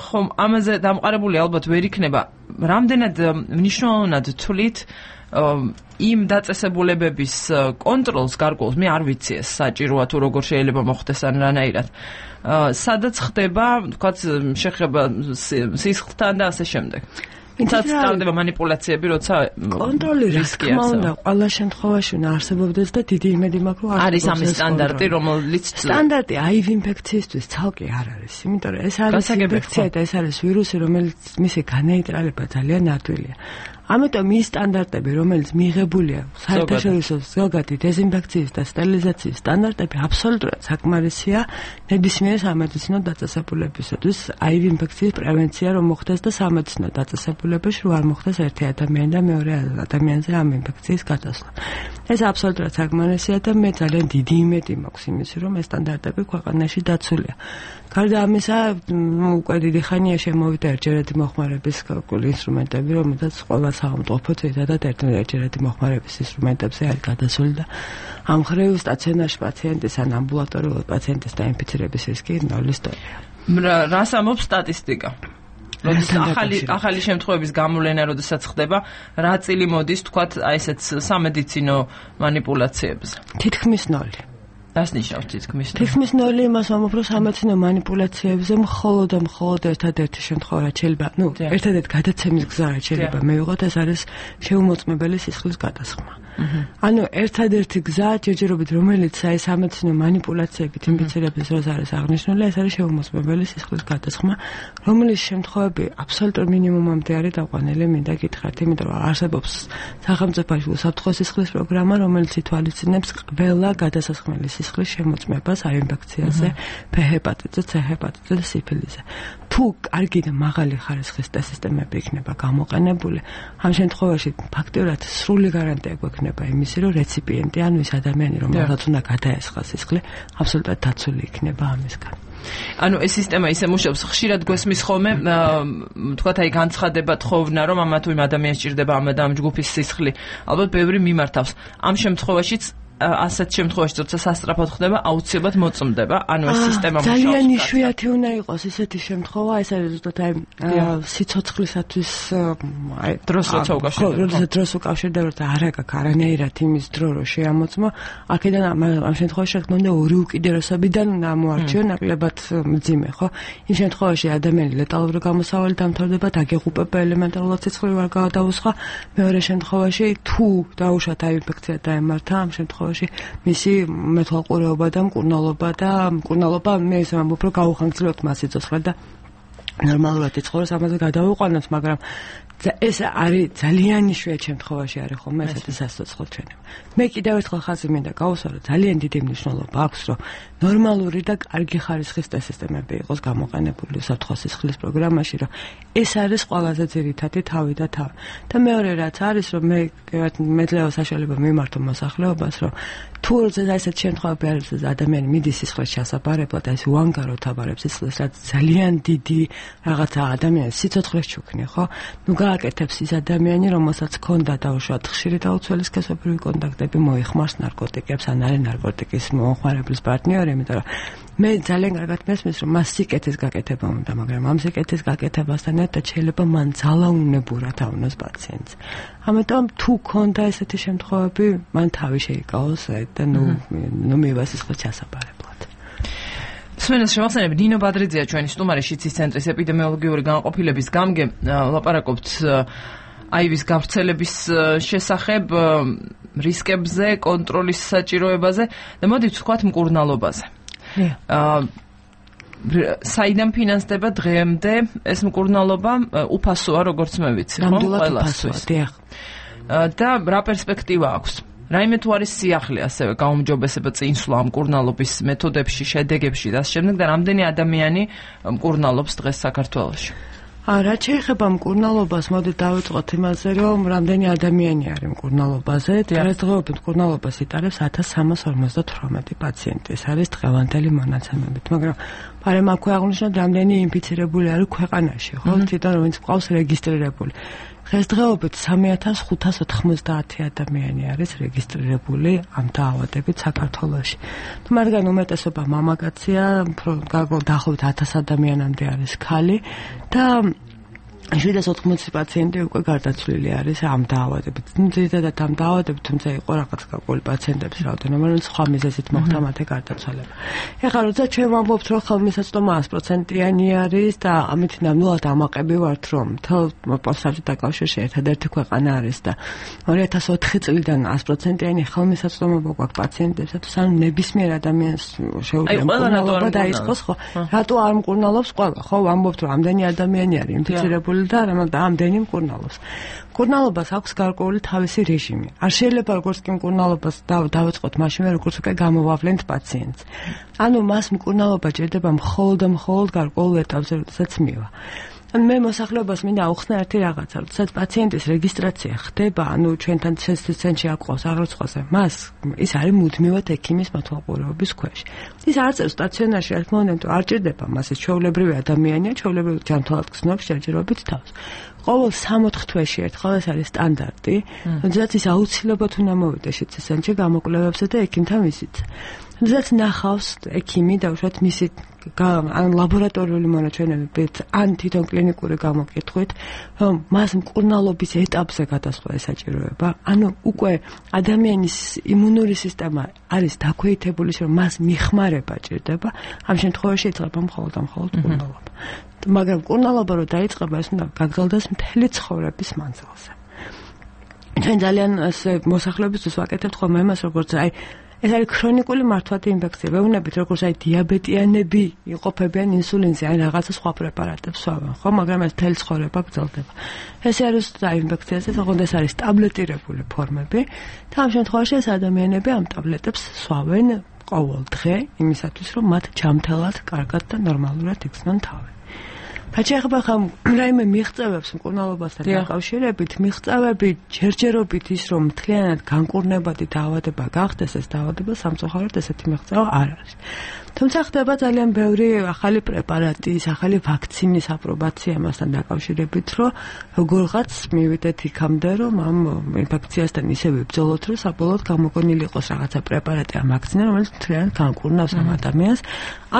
ხომ ამაზე დამყარებული ალბათ ვერ იქნება. რამდენად მნიშვნელოვნად თვლით იმ დაწესებულებების კონტროლს გარკვეულს, მე არ ვიცი ეს საჭიროა თუ როგორ შეიძლება მოხდეს ან რანაირად. სადაც ხდება, თქვათ, შეხება სისხლთან და ასე შემდეგ. ინცაც სტარდება манипуляციები, როცა კონტროლი რა თქმა უნდა, ყველა შემთხვევაში უნდა არსებობდეს და დიდი იმედი მაქვს, რომ არის ამის სტანდარტი, რომელიც სტანდარტი აი ვი ინფექციისთვის ცალკე არ არის, იმიტომ რომ ეს არის ინფექცია და ეს არის ვირუსი, რომელიც მისი განეიტრალება ძალიან ადვილია. ამიტომ ის სტანდარტები, რომელიც მიღებულია საერთაშორისო ზოგადი დეზინფექციის და სტერილიზაციის სტანდარტები აბსოლუტურად საკმარისია ნებისმიერ სამედიცინო დაწესებულებისათვის, აი ვი ინფექციის პრევენცია რომ მოხდეს და სამედიცინო დაწესებულებაში რომ არ მოხდეს ერთი ადამიანი და მეორე ადამიანზე ამ ინფექციის გადასვლა. ეს აბსოლუტურად საკმარისია და მე ძალიან დიდი იმედი მაქვს იმისი, რომ ეს სტანდარტები ქვეყანაში დაცულია. გარდა ამისა, უკვე დიდი ხანია შემოვიდა ერთჯერადი მოხმარების კალკული ინსტრუმენტები, რომელთაც ყველა სახელმწიფო ძირითადად ერთჯერადი მოხმარების ინსტრუმენტებზე არის გადასული და ამ მხრივ სტაციონარში პაციენტის ან ამბულატორიულ პაციენტის დაინფიცირების რისკი ნულის დონეა. რას ამბობს სტატისტიკა? როდესაც ახალი ახალი შემთხვევების გამოვლენა როდესაც ხდება, რა წილი მოდის თქვათ აი ესეც სამედიცინო манипуляციებზე? თითქმის ნოლი. რას ნიშნავს თითქმის ნოლი? თითქმის ნოლი იმას ამოფროს სამედიცინო манипуляციებზე მხოლოდ და მხოლოდ ერთადერთი შემთხვევა რაც შეიძლება, ну, ერთადერთი გადაცემის გზა რაც შეიძლება მივიღოთ, ეს არის შეუმოწმებელი სისხლის გადასხმა. ანუ ერთადერთი გზა ჯერჯერობით რომელიც აი სამედიცინო манипуляციებით ინფიცირების დროს არის აღნიშნული, ეს არის შეუმოწმებელი სისხლის გადასხმა, რომლის შემთხვევები აბსოლუტურ მინიმუმამდე არის დაყვანილი, მინდა გითხრათ, იმიტომ რომ არსებობს სახელმწიფოში უსაფრთხო სისხლის პროგრამა, რომელიც ითვალისწინებს ყველა გადასასხმელი სისხლის შემოწმებას აი ინფექციაზე, ფ ჰეპატიტზე, ცე ჰეპატიტზე და სიფილისზე. თუ კარგი და მაღალი ხარისხის ტესტები იქნება გამოყენებული, ამ შემთხვევაში ფაქტობრივად სრული გარანტია გვექნება იმისი, რომ რეციპიენტი, ანუ ის ადამიანი, რომელსაც უნდა გადაესხა სისხლი, აბსოლუტურად დაცული იქნება ამისგან. ანუ ეს სისტემა ისე მუშაობს, ხშირად გვესმის ხოლმე, თქვათ აი განცხადება თხოვნა, რომ ამა თუ იმ ადამიანს ჭირდება ამ და ამ ჯგუფის სისხლი, ალბათ ბევრი მიმართავს. ამ შემთხვევაშიც ასეთ შემთხვევაში როცა სასწრაფოდ ხდება, აუცილებლად მოწმდება, ანუ ეს სისტემა მუშაობს. ძალიან იშვიათი უნდა იყოს ესეთი შემთხვევა, ეს არის ზუსტად აი სიცოცხლისათვის აი დროს როცა უკავშირდება. როცა დროს უკავშირდება, როცა არ აქვს არანაირად იმის დრო რომ შეამოწმო, აქედან ამ შემთხვევაში რა თქმა უნდა ორი უკიდურესობიდან ამოარჩიო ნაკლებად მძიმე, ხო? იმ შემთხვევაში ადამიანი ლეტალური გამოსავალი დამთავრდება, დაგეღუპება ელემენტარულად სიცხლე ვარ გადაუსხა, მეორე შემთხვევაში თუ დაუშვათ აი ინფექცია დაემართა, ამ შემთხვევაში მისი მეთვალყურეობა და მკურნალობა და მკურნალობა მე ისე ვამბობ რომ გაუხანგრძლივებთ მას სიცოცხლე და ნორმალურად იცხოვროს ამაზე გადავიყვანოთ, მაგრამ ეს არის ძალიან იშვიათ შემთხვევაში არის ხოლმე ესეთი სასიცოცხლო ჩვენება. მე კიდევ ერთხელ ხაზი მინდა გავუსვა, რომ ძალიან დიდი მნიშვნელობა აქვს, რომ ნორმალური და კარგი ხარისხის ტესტები იყოს გამოყენებული უსაფრთხო სისხლის პროგრამაში, რომ ეს არის ყველაზე ძირითადი თავი და თავი. და მეორე რაც არის, რომ მე მეძლევა საშუალება მიმართო მოსახლეობას, რომ თუ ესეთ შემთხვევები არის, რომ ადამიანი მიდის სისხლის ჩასაბარებლად, ეს უანგაროდ აბარებს სისხლს, რაც ძალიან დიდი რაღაცა ადამიანის სიცოცხლეს ჩუქნი, ხო? ნუ გააკეთებს ის ადამიანი, რომელსაც ჰქონდა დაუშვათ ხშირი დაუცველი სქესობრივი კონტაქტები, მოიხმარს ნარკოტიკებს, ან არის ნარკოტიკის მომხმარებლის პარტნიორი, იმიტომ რომ მე ძალიან კარგად მესმის, რომ მას სიკეთის გაკეთება უნდა, მაგრამ ამ სიკეთის გაკეთებასთან ერთად შეიძლება მან ძალაუნებურად ავნოს პაციენტს. ამიტომ თუ ქონდა ესეთი შემთხვევები, მან თავი შეიკავოს და ნუ ნუ მივა სისხლის ჩასაბარებლად. სვენას შემახსენებ, ნინო ბადრიძეა ჩვენი სტუმარი შიცის ცენტრის ეპიდემიოლოგიური განყოფილების გამგე, ლაპარაკობთ აივის გავრცელების შესახებ, რისკებზე, კონტროლის საჭიროებაზე და მოდით ვთქვათ მკურნალობაზე. საიდან ფინანსდება დღემდე ეს მკურნალობა? უფასოა, როგორც მე ვიცი, ხო? ყველასთვის. და რა პერსპექტივა აქვს? რაიმე თუ არის სიახლე ასევე გაუმჯობესება წინსვლა მკურნალობის მეთოდებში, შედეგებში და ამ შემდეგ და რამდენი ადამიანი მკურნალობს დღეს საქართველოში? რა შეიძლება მკურნალობას, მოდით დავიწყოთ იმაზე, რომ რამდენი ადამიანი არის მკურნალობაზე. დღესდღეობით მკურნალობას იტარებს ათას სამას ორმოცდათვრამეტი პაციენტი. ეს არის დღევანდელი მონაცემებით, მაგრამ პარემ აქვე აღნიშნოთ, რამდენი ინფიცირებული არის ქვეყანაში, ხო? თვითონ ვინც ყავს რეგისტრირებული. დღესდღეობით სამი ათას ხუთას ოთხმოცდაათი ადამიანი არის რეგისტრირებული ამ დაავადებით საქართველოში. მაგრამ უმეტესობა მამაკაცია, დაახლოებით ათას ადამიანამდე არის ქალი და შვიდას ოთხმოცი პაციენტი უკვე გარდაცვლილი არის ამ დაავადებით. ძირითადად ამ დაავადებით, თუმცა იყო რაღაც გარკვეული პაციენტების რაოდენობა, რომელიც სხვა მიზეზით მოხდა მათი გარდაცვალება. ეხლა როცა ჩვენ ვამბობთ, რომ ხელმისაწვდომა ას პროცენტიანი არის და ამით ნამდვილად ამაყები ვართ, რომ მთელ საბჭოთა კავშირში ერთადერთი ქვეყანა არის და ორი ათას ოთხი წლიდან ას პროცენტიანი ხელმისაწვდომა გვაქვს პაციენტებისათვის, ანუ ნებისმიერ ადამიანს შეუძლია მკურნალობა დაიწყოს, ხო? რატო არ მკურნალობს ყველა? ხო, ვამბობთ, რომ ამდენი ადამიანი არის ინფიცირებული და ამდენი მკურნალობს. მკურნალობას აქვს გარკვეული თავისი რეჟიმი. არ შეიძლება როგორც კი მკურნალობას დავიწყოთ მაშინვე, როგორც უკვე გამოვავლენთ პაციენტს. ანუ მას მკურნალობა ჭირდება მხოლოდ და მხოლოდ გარკვეულ ეტაპზე, როდესაც მივა. მე მოსახლეობას მინდა აუხსნა ერთი რაღაცა, როდესაც პაციენტის რეგისტრაცია ხდება, ანუ ჩვენთან ცენტრის ცენტრში აყვავს აღრიცხვაზე, მას ის არის მუდმივად ექიმის მეთვალყურეობის ქვეშ. ის არ წერს სტაციონარში, რა თქმა უნდა, არ ჭირდება მას, ის ჩვეულებრივი ადამიანია, ჩვეულებრივ ჯანმრთელად გრძნობს ჯერჯერობით თავს. ყოველ სამოთხ თვეში ერთხელ ეს არის სტანდარტი, როდესაც ის აუცილებლად უნდა მოვიდეს შიცის ცენტრში გამოკვლევებზე და ექიმთან ვიზიტზე. თუნდაც ნახავს ექიმი და უშუალოდ მისი ან ლაბორატორიული მონაჩვენებებით, ან თვითონ კლინიკური გამოკითხვით, რომ მას მკურნალობის ეტაპზე გადასვლა ესაჭიროება. ანუ უკვე ადამიანის იმუნური სისტემა არის დაქვეითებული, რომ მას მიხმარება ჭირდება, ამ შემთხვევაში იწყება მხოლოდ და მხოლოდ მკურნალობა. მაგრამ მკურნალობა რო დაიწყება, ეს უნდა გაგრძელდეს მთელი ცხოვრების მანძილზე. ჩვენ ძალიან მოსახლეობისთვის ვაკეთებთ ხოლმე იმას, როგორც აი ეს არის ქრონიკული მართვადი ინფექცია. ვეუბნებით, როგორც აი დიაბეტიანები იყოფებიან ინსულინზე, აი რაღაცა სხვა პრეპარატებს სვავენ, ხო, მაგრამ ეს მთელი ცხოვრება გრძელდება. ეს არის აი ინფექციაზე, თქო, ეს არის ტაბლეტირებული ფორმები და ამ შემთხვევაში ეს ადამიანები ამ ტაბლეტებს სვავენ ყოველ დღე იმისათვის, რომ მათ ჯამთელად, კარგად და ნორმალურად იქცნონ თავი. რაც შეეხება ხომ რაიმე მიღწევებს მკურნალობასთან დაკავშირებით, მიღწევები ჯერჯერობით ის რომ მთლიანად განკურნებადი დაავადება გახდეს, ეს დაავადება სამწუხაროდ ესეთი მიღწევა არ არის. თუმცა ხდება ძალიან ბევრი ახალი პრეპარატის, ახალი ვაქცინის აპრობაცია ამასთან დაკავშირებით, რომ როგორღაც მივიდეთ იქამდე, რომ ამ ინფექციასთან ისე ვიბრძოლოთ, რომ საბოლოოდ გამოგონილი იყოს რაღაცა პრეპარატი ამ ვაქცინა, რომელიც მთლიანად განკურნავს ამ ადამიანს,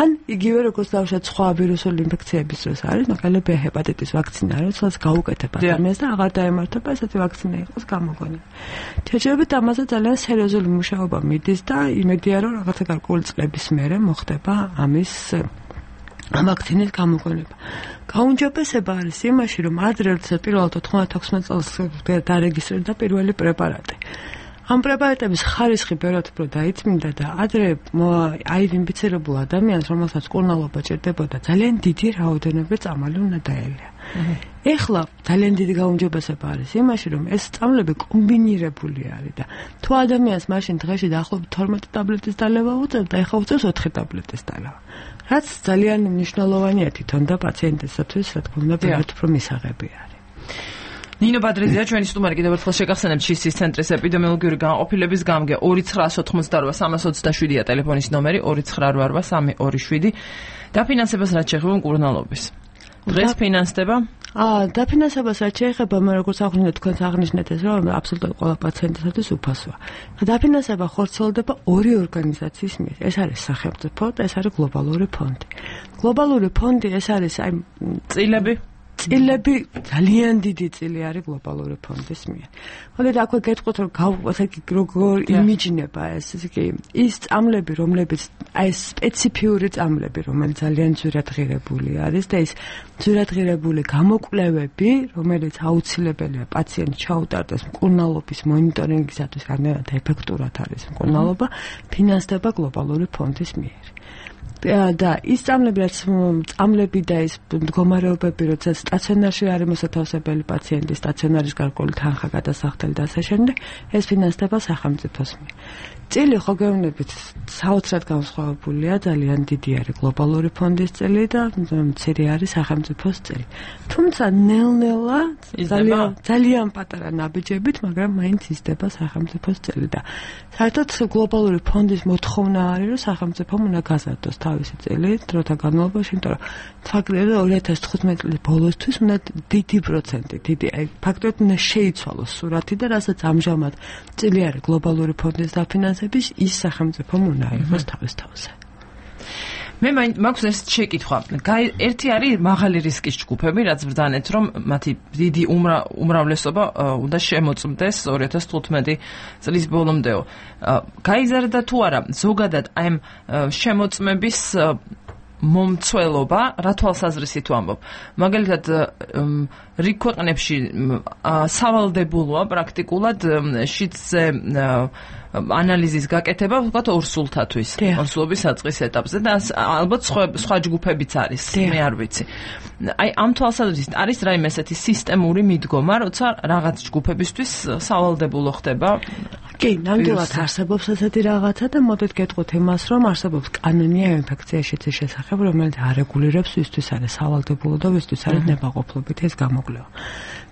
ან იგივე როგორც დავუშვათ სხვა ვირუსული ინფექციების დროს არის, მაგალითად ჰეპატიტის ვაქცინა, რომელსაც გაუკეთებ ადამიანს და აღარ დაემართება, ესეთი ვაქცინა იყოს გამოგონილი. ჯერჯერობით ამაზე ძალიან სერიოზული მუშაობა მიდის და იმედია, რომ რაღაცა გარკვეული წლების მერე მოხდება ამის ვაქცინის გამოგონება. გაუმჯობესება არის იმაში, რომ ადრე როცა პირველად ოთხმოცდაოთხ წელს დარეგისტრირდა პირველი პრეპარატი. ამ პრეპარატების ხარისხი ბევრად უფრო დაიწმინდა და ადრე აიდენტიფიცირებულ ადამიანს, რომელსაც მკურნალობა ჭირდებოდა, ძალიან დიდი რაოდენობით წამალი უნდა დაელია. ეხლა ძალიან დიდი გაუმჯობესება არის იმაში, რომ ეს წამლები კომბინირებული არის და თუ ადამიანს მაშინ დღეში დაახლოებით თორმეტ ტაბლეტის დალევა უწევდა, ეხლა უწევს ოთხი ტაბლეტის დალევა. რაც ძალიან მნიშვნელოვანია თვითონ და პაციენტისათვის, რა თქმა უნდა, ბევრად უფრო მისაღები არის. ნინო ბადრიძეა ჩვენი სტუმარი, კიდევ ერთხელ შეგახსენებთ შის ცენტრის ეპიდემიოლოგიური განყოფილების გამგე ორი ცხრა ოთხმოცდაოთხ სამას ოცდაშვიდია ტელეფონის ნომერი ორი ცხრა რვა რვა სამი ორი შვიდი. დაფინანსებას რაც შეეხება მკურნალობის. დღეს ფინანსდება? აა, დაფინანსებას რაც შეეხება, მე როგორც აღვნიშნეთ, თქვენს აღნიშნეთ ეს, რომ აბსოლუტურად ყველა პაციენტისათვის უფასოა. დაფინანსება ხორციელდება ორი ორგანიზაციის მიერ. ეს არის სახელმწიფო და ეს არის გლობალური ფონდი. გლობალური ფონდი ეს არის აი წილები წილები ძალიან დიდი წილი არის გლობალური ფონდის მიერ. მოდით აქვე გეტყვით რომ როგორ იმიჯნება ეს იგი ის წამლები, რომლებიც აი სპეციფიური წამლები, რომელიც ძალიან ძვირადღირებული არის და ის ძვირადღირებული გამოკვლევები, რომელიც აუცილებელია პაციენტს ჩაუტარდეს მკურნალობის მონიტორინგისათვის, რამდენად ეფექტურად არის მკურნალობა, ფინანსდება გლობალური ფონდის მიერ. და ის წამლები, რაც წამლები და ის მდგომარეობები, როდესაც სტაციონარში არის მოსათავსებელი პაციენტი, სტაციონარის გარკვეული თანხა გადასახდელი და ასე შემდეგ, ეს ფინანსდება სახელმწიფოს მიერ. წილი ხო გეუბნებით, საოცრად განსხვავებულია, ძალიან დიდი არის გლობალური ფონდის წილი და მცირე არის სახელმწიფოს წილი. თუმცა ნელ-ნელა ძალიან ძალიან პატარა ნაბიჯებით, მაგრამ მაინც იზრდება სახელმწიფოს წილი და საერთოდ გლობალური ფონდის მოთხოვნა არის, რომ სახელმწიფომ უნდა გაზარდოს თავისი წილი დროთა განმავლობაში, იმიტომ რომ ფაქტობრივად ორი ათას თხუთმეტი წლის ბოლოსთვის უნდა დიდი პროცენტი, დიდი აი ფაქტობრივად უნდა შეიცვალოს სურათი და რასაც ამჟამად წილი არის გლობალური ფონდის დაფინანსების, ის სახელმწიფომ უნდა იყოს თავის თავზე. მე მაქვს ეს შეკითხვა. ერთი არის მაღალი რისკის ჯგუფები, რაც ბრძანეთ, რომ მათი დიდი უმრავლესობა უნდა შემოწმდეს ორი ათას თხუთმეტი წლის ბოლომდეო. გაიზარდა თუ არა ზოგადად აი ამ შემოწმების მომცველობა, რა თვალსაზრისით ვამბობ. მაგალითად, რიგ ქვეყნებში სავალდებულოა პრაქტიკულად შიდზე ანალიზის გაკეთება, ვთქვათ, ორსულთათვის, ორსულობის საწყის ეტაპზე და ალბათ სხვა ჯგუფებიც არის, მე არ ვიცი. აი ამ თვალსაზრისით არის რაიმე ესეთი სისტემური მიდგომა, როცა რაღაც ჯგუფებისთვის სავალდებულო ხდება? კი, ნამდვილად არსებობს ესეთი რაღაცა და მოდით გეტყვით იმას, რომ არსებობს კანონია ინფექციის შეცის შესახებ, რომელიც არეგულირებს ვისთვის არის სავალდებულო და ვისთვის არის ნებაყოფლობით ეს გამოკვლევა.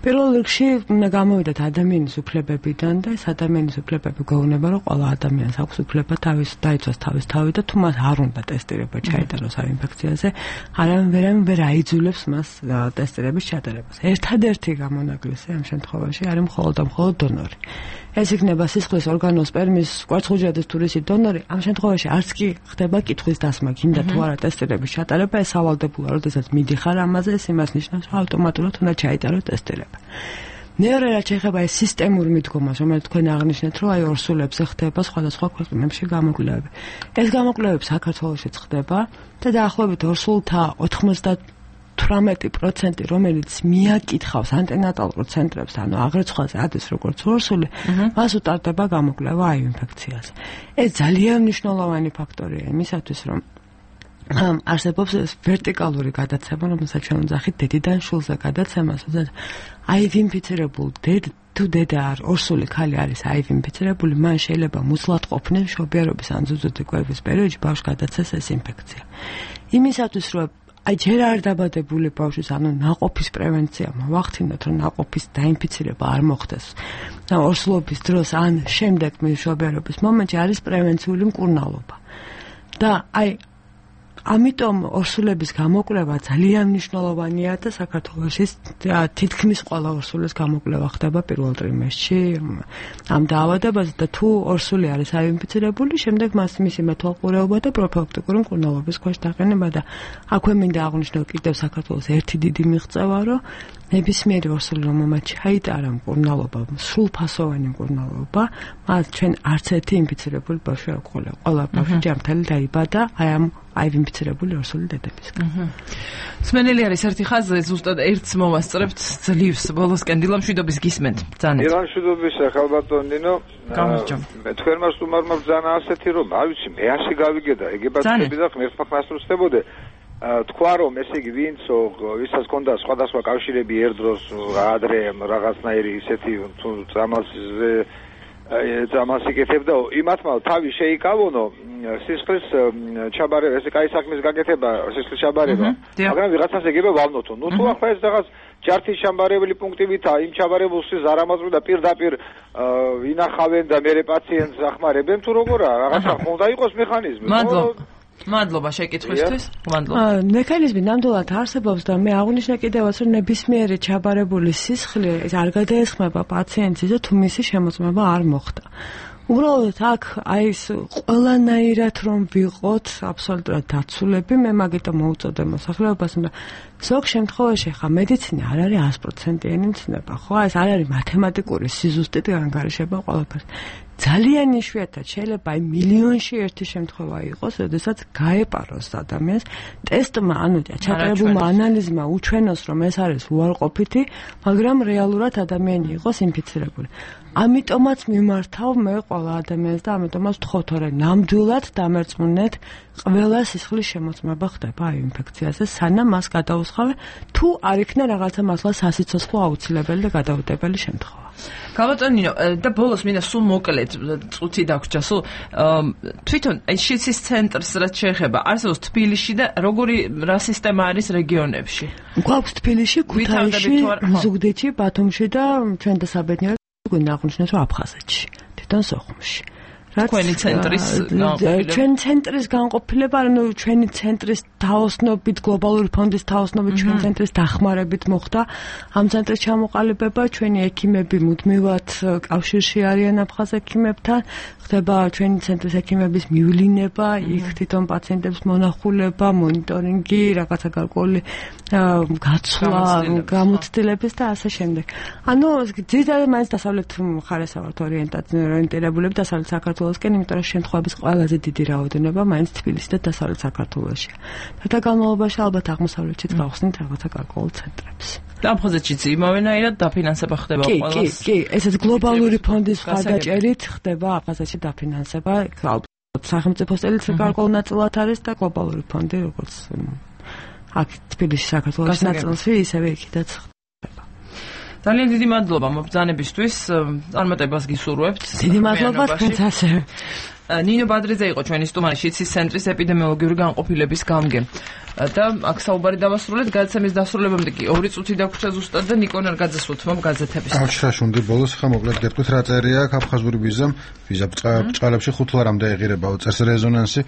პირველ რიგში უნდა გამოვიდეთ ადამიანის უფლებებიდან და ეს ადამიანის უფლებები გვეუბნება, რომ ყველა ადამიანს აქვს უფლება თავის დაიცვას თავის თავი და თუ მას არ უნდა ტესტირება ჩაიტაროს ამ ინფექციაზე, არავინ ვერამ ვერ აიძულებს მას ტესტირების ჩატარებას. ერთადერთი გამონაკლისი ამ შემთხვევაში არის მხოლოდ და მხოლოდ დონორი. ეს იქნება სისხლის ორგანოს სპერმის კვერცხუჯრედის თუ რისი დონორი, ამ შემთხვევაში არც კი ხდება კითხვის დასმა, გინდა თუ არა ტესტირების ჩატარება, ეს ავალდებულა, როდესაც მიდიხარ ამაზე, ეს იმას ნიშნავს, რომ ავტომატურად უნდა ჩაიტარო ტესტირება. მეორე რაც შეეხება ეს სისტემურ მიდგომას, რომელიც თქვენ აღნიშნეთ, რომ აი ორსულებზე ხდება სხვადასხვა ქვეყნებში გამოკვლევები. ეს გამოკვლევები საქართველოშიც ხდება და დაახლოებით ორსულთა ოთხმოცდათვრამეტი პროცენტი, რომელიც მიაკითხავს ანტენატალურ ცენტრებს, ანუ აღრიცხვაზე ადის როგორც ორსული, მას უტარდება გამოკვლევა აივ ინფექციაზე. ეს ძალიან მნიშვნელოვანი ფაქტორია იმისათვის, რომ ამ არსებობს ვერტიკალური გადაცემა, რომელსაც ჩვენ ვძახით დედიდან შულზე გადაცემას, სადაც აივ ინფიცირებულ დედ თუ დედა არ ორსული ქალი არის აივ ინფიცირებული, მან შეიძლება მუცლად ყოფნილ მშობიარობის ან ზუზუდი კვების პერიოდში ბავშვს გადაცეს ეს ინფექცია. იმისათვის, რომ აი ჯერ არ დაბადებული ბავშვის, ანუ ნაყოფის პრევენცია მოვახდინოთ, რომ ნაყოფის დაინფიცირება არ მოხდეს. და ორსულობის დროს ან შემდეგ მშობიარობის მომენტში არის პრევენციული მკურნალობა. და აი ამიტომ ორსულების გამოკვლევა ძალიან მნიშვნელოვანია და საქართველოში თითქმის ყველა ორსულის გამოკვლევა ხდება პირველ ტრიმესტრში ამ დაავადებაზე და თუ ორსული არის აინფიცირებული, შემდეგ მას მისი მეთვალყურეობა და პროფილაქტიკური მკურნალობის ქვეშ დაყენება და აქვე მინდა აღვნიშნო კიდევ საქართველოს ერთი დიდი მიღწევა, რომ ნებისმიერი ორსული, რომელმაც ჩაიტარა მკურნალობა, სრულფასოვანი მკურნალობა, მას ჩვენ არც ერთი ინფიცირებული ბავშვი არ გვყოლია. ყველა ბავშვი ჯანმრთელი დაიბადა აი ამ აივ ინფიცირებული ორსული დედებისგან. სმენელი არის ერთი ხაზი, ზუსტად ერთს მოვასწრებთ ძლივს ბოლოსკენ დილამშვიდობის გისმენთ. ბრძანეთ. დილამშვიდობის ხალბატონ ნინო. მე თქვენმა სტუმარმა ბრძანა ასეთი რომ, არ ვიცი, მე ასე გავიგე და ეგებაცები და ღმერთმა ხმასრულდებოდე. თქვა რომ ესე იგი ვინცო ვისაც ჰქონდა სხვადასხვა კავშირები ერთდროს ადრე რაღაცნაირი ისეთი თუ წამალზე წამალს იკეთებდა, იმათმა თავი შეიკავონო სისხლის ჩაბარება, ესე კაი საქმის გაკეთება, სისხლის ჩაბარება, მაგრამ ვიღაცას ეგება ვალნოთო. ნუ თუ ახლა ეს რაღაც ჯართის ჩამბარებელი პუნქტივითა იმ ჩაბარებულ სისხლს არ ამოწმდა პირდაპირ ინახავენ და მერე პაციენტს ახმარებენ თუ როგორა, რაღაცა უნდა იყოს მექანიზმი. მადლობა. მადლობა შეკითხვისთვის. მადლობა. მექანიზმი ნამდვილად არსებობს და მე აღვნიშნე კიდევაც, რომ ნებისმიერი ჩაბარებული სისხლი არ გადაესხმება პაციენტს და თუ მისი შემოწმება არ მოხდა. უბრალოდ აქ აი ეს ყველანაირად რომ ვიყოთ აბსოლუტურად დაცულები, მე მაგიტომ მოუწოდე მოსახლეობას, მაგრამ ზოგ შემთხვევაში ხა მედიცინა არ არის sto პროცენტიანი ცნება, ხო? ეს არ არის მათემატიკური სიზუსტით განგარიშება ყველაფერს. ძალიან იშვიათად შეიძლება აი მილიონში ერთი შემთხვევა იყოს, როდესაც გაეპაროს ადამიანს ტესტმა, ანუ ჩატარებულმა ანალიზმა უჩვენოს, რომ ეს არის უარყოფითი, მაგრამ რეალურად ადამიანი იყოს ინფიცირებული. ამიტომაც მიმართავ მე ყველა ადამიანს და ამიტომაც ვთხოვთ, რომ ნამდვილად დამერწმუნეთ, ყველა სისხლის შემოწმება ხდება აი ინფექციაზე, სანამ მას გადაუსხავენ, თუ არ იქნა რაღაცა მართლა სასიცოცხლო აუცილებელი და გადაუდებელი შემთხვევა. გაბატონინო და ბოლოს მინდა სულ მოკლედ წუთი დაგვრჩა, სულ თვითონ შიცის ცენტრს რაც შეეხება, არსებობს თბილისში და როგორი რა სისტემა არის რეგიონებში? გვაქვს თბილისში, ქუთაისში, ზუგდიდში, ბათუმში და ჩვენ და საბედნიეროდ გვინდა აღვნიშნოთ, რომ აფხაზეთში, თვითონ სოხუმში. თქვენი ცენტრის ჩვენ ცენტრის განყოფილება, ანუ ჩვენი ცენტრის თაოსნობით, გლობალური ფონდის თაოსნობით, ჩვენი ცენტრის დახმარებით მოხდა ამ ცენტრის ჩამოყალიბება. ჩვენი ექიმები მუდმივად კავშირში არიან აფხაზ ექიმებთან, ხდება ჩვენი ცენტრის ექიმების მივლინება, იქ თვითონ პაციენტებს მონახულება, მონიტორინგი, რაღაცა გარკვეული გაცვლა, გამოცდილების და ასე შემდეგ. ანუ ძირითადად მაინც დასავლეთ მხარეს ვართ ორიენტირებული, დასავლეთ საქართველოსკენ, იმიტომ რომ შემთხვევების ყველაზე დიდი რაოდენობა მაინც თბილისში და დასავლეთ საქართველოშია. და განმავლობაში ალბათ აღმოსავლეთშიც გავხსნით რაღაცა გარკვეულ ცენტრებს. და აფხაზეთშიც იმავენაირად დაფინანსება ხდება კი, ყველას. კი, კი, ესეც გლობალური ფონდის მხარდაჭერით ხდება აფხაზეთში დაფინანსება, ალბათ სახელმწიფო წელიც გარკვეულ ნაწილად არის და გლობალური ფონდი როგორც აქ თბილისში საქართველოს ნაწილში ისევე იქითაც ხდება. ძალიან დიდი მადლობა მობრძანებისთვის, წარმატებას გისურვებთ. დიდი მადლობა თქვენც ასევე. ნინო ბადრიძე იყო ჩვენი სტუმარი შიცის ცენტრის ეპიდემიოლოგიური განყოფილების გამგე. და აქ საუბარი დავასრულეთ, გადაცემის დასრულებამდე კი ორი წუთი დაგვრჩა ზუსტად და ნიკო ნარგაძეს ვუთმობ გაზეთების. აღშაშუნდი ბოლოს ხა მოკლედ გეტყვით რა წერია აქ აფხაზური ვიზამ, ვიზა ბწყალებში ხუთ ლარამდე ეღირებაო წერს რეზონანსი,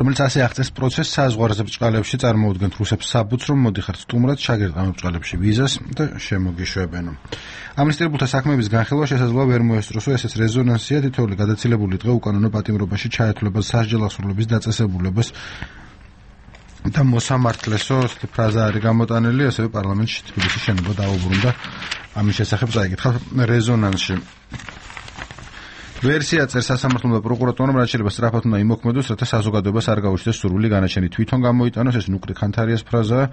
რომელიც ასე აღწევს პროცესს საზღვარზე ბწყალებში წარმოუდგენთ რუსებს საბუთს, რომ მოდიხართ სტუმრად შაგერტყამო ბწყალებში ვიზას და შემოგიშვებენო. ამნისტირებულთა საქმეების განხილვა შესაძლოა ვერ მოესწროსო, ესეც რეზონანსია, თითოეული გადაცილებული დღე უკანონო პატიმრობაში ჩაეთვლება სასჯელ აღსრულების დაწესებულებას და მოსამართლესო ფრაზა არის გამოტანილი, ასევე პარლამენტში თბილისის შენობა დაუბრუნდა ამის შესახებ წაიკითხა რეზონანსში. ვერსია წერს სასამართლო და პროკურატურამ, რაც შეიძლება სწრაფად უნდა იმოქმედოს, რათა საზოგადოებას არ გაუჩნდეს სურვილი განაჩენი თვითონ გამოიტანოს, ეს ნუკრი ხანთარიას ფრაზაა.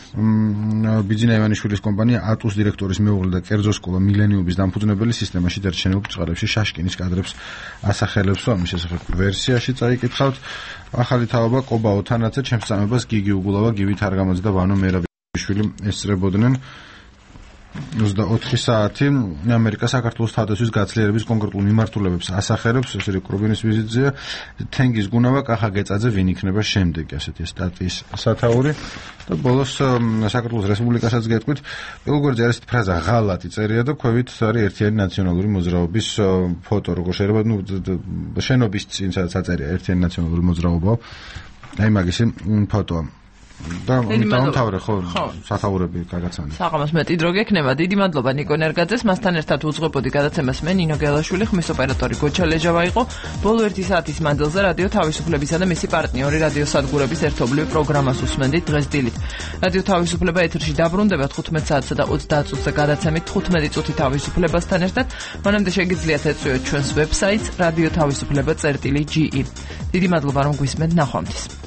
ბიძინა ივანიშვილის კომპანია ატუს დირექტორის მეუღლე და კერძო სკოლა მილენიუმის დამფუძნებელი სისტემაში დარჩენილ ბწყალებში შაშკინის კადრებს ასახელებს, ამის შესახებ ვერსიაში წაიკითხავთ. ახალი თაობა კობაო თანაცე ჩემს წამებას გიგი უგულავა, გივით არგამაძე და ვანო მერაბიშვილი ესწრებოდნენ. ოცდაოთხი საათი ამერიკა საქართველოს თავდაცვის გაცილიერების კონკრეტულ მიმართულებებს ასახელებს, ეს რიკრუბინის ვიზიტზეა. თენგიზ გუნავა, კახა გეწაძე ვინ იქნება შემდეგი, ასეთი სტატიის სათაური. და ბოლოს საქართველოს რესპუბლიკასაც გეტყვით, პირველგვარზე არის ფრაზა ღალატი წერია და ქვევით არის ერთიანი ნაციონალური მოძრაობის ფოტო, როგორ შეიძლება, ნუ შენობის წინ სადაც აწერია ერთიანი ნაციონალური მოძრაობა. აი მაგისი ფოტოა. და დამთავრე ხო სათაურები გაგაცანე. საღამოს მეტი დრო გექნება. დიდი მადლობა ნიკო ნერგაძეს, მასთან ერთად უძღვებოდი გადაცემას მე ნინო გელაშვილი, ხმის ოპერატორი გოჩა ლეჯავა იყო. ბოლო ერთი საათის მანძილზე რადიო თავისუფლებისა და მისი პარტნიორი რადიო სადგურების ერთობლივ პროგრამას უსმენდით დღეს დილით. რადიო თავისუფლება ეთერში დაბრუნდება თხუთმეტ საათსა და ოცდაათ წუთზე გადაცემით თხუთმეტი წუთი თავისუფლებასთან ერთად. მანამდე შეგიძლიათ ეწვიოთ ჩვენს ვებსაიტს radio თავისუფლება წერტილი ჯი ი. დიდი მადლობა რომ გვისმენთ, ნახვამდის.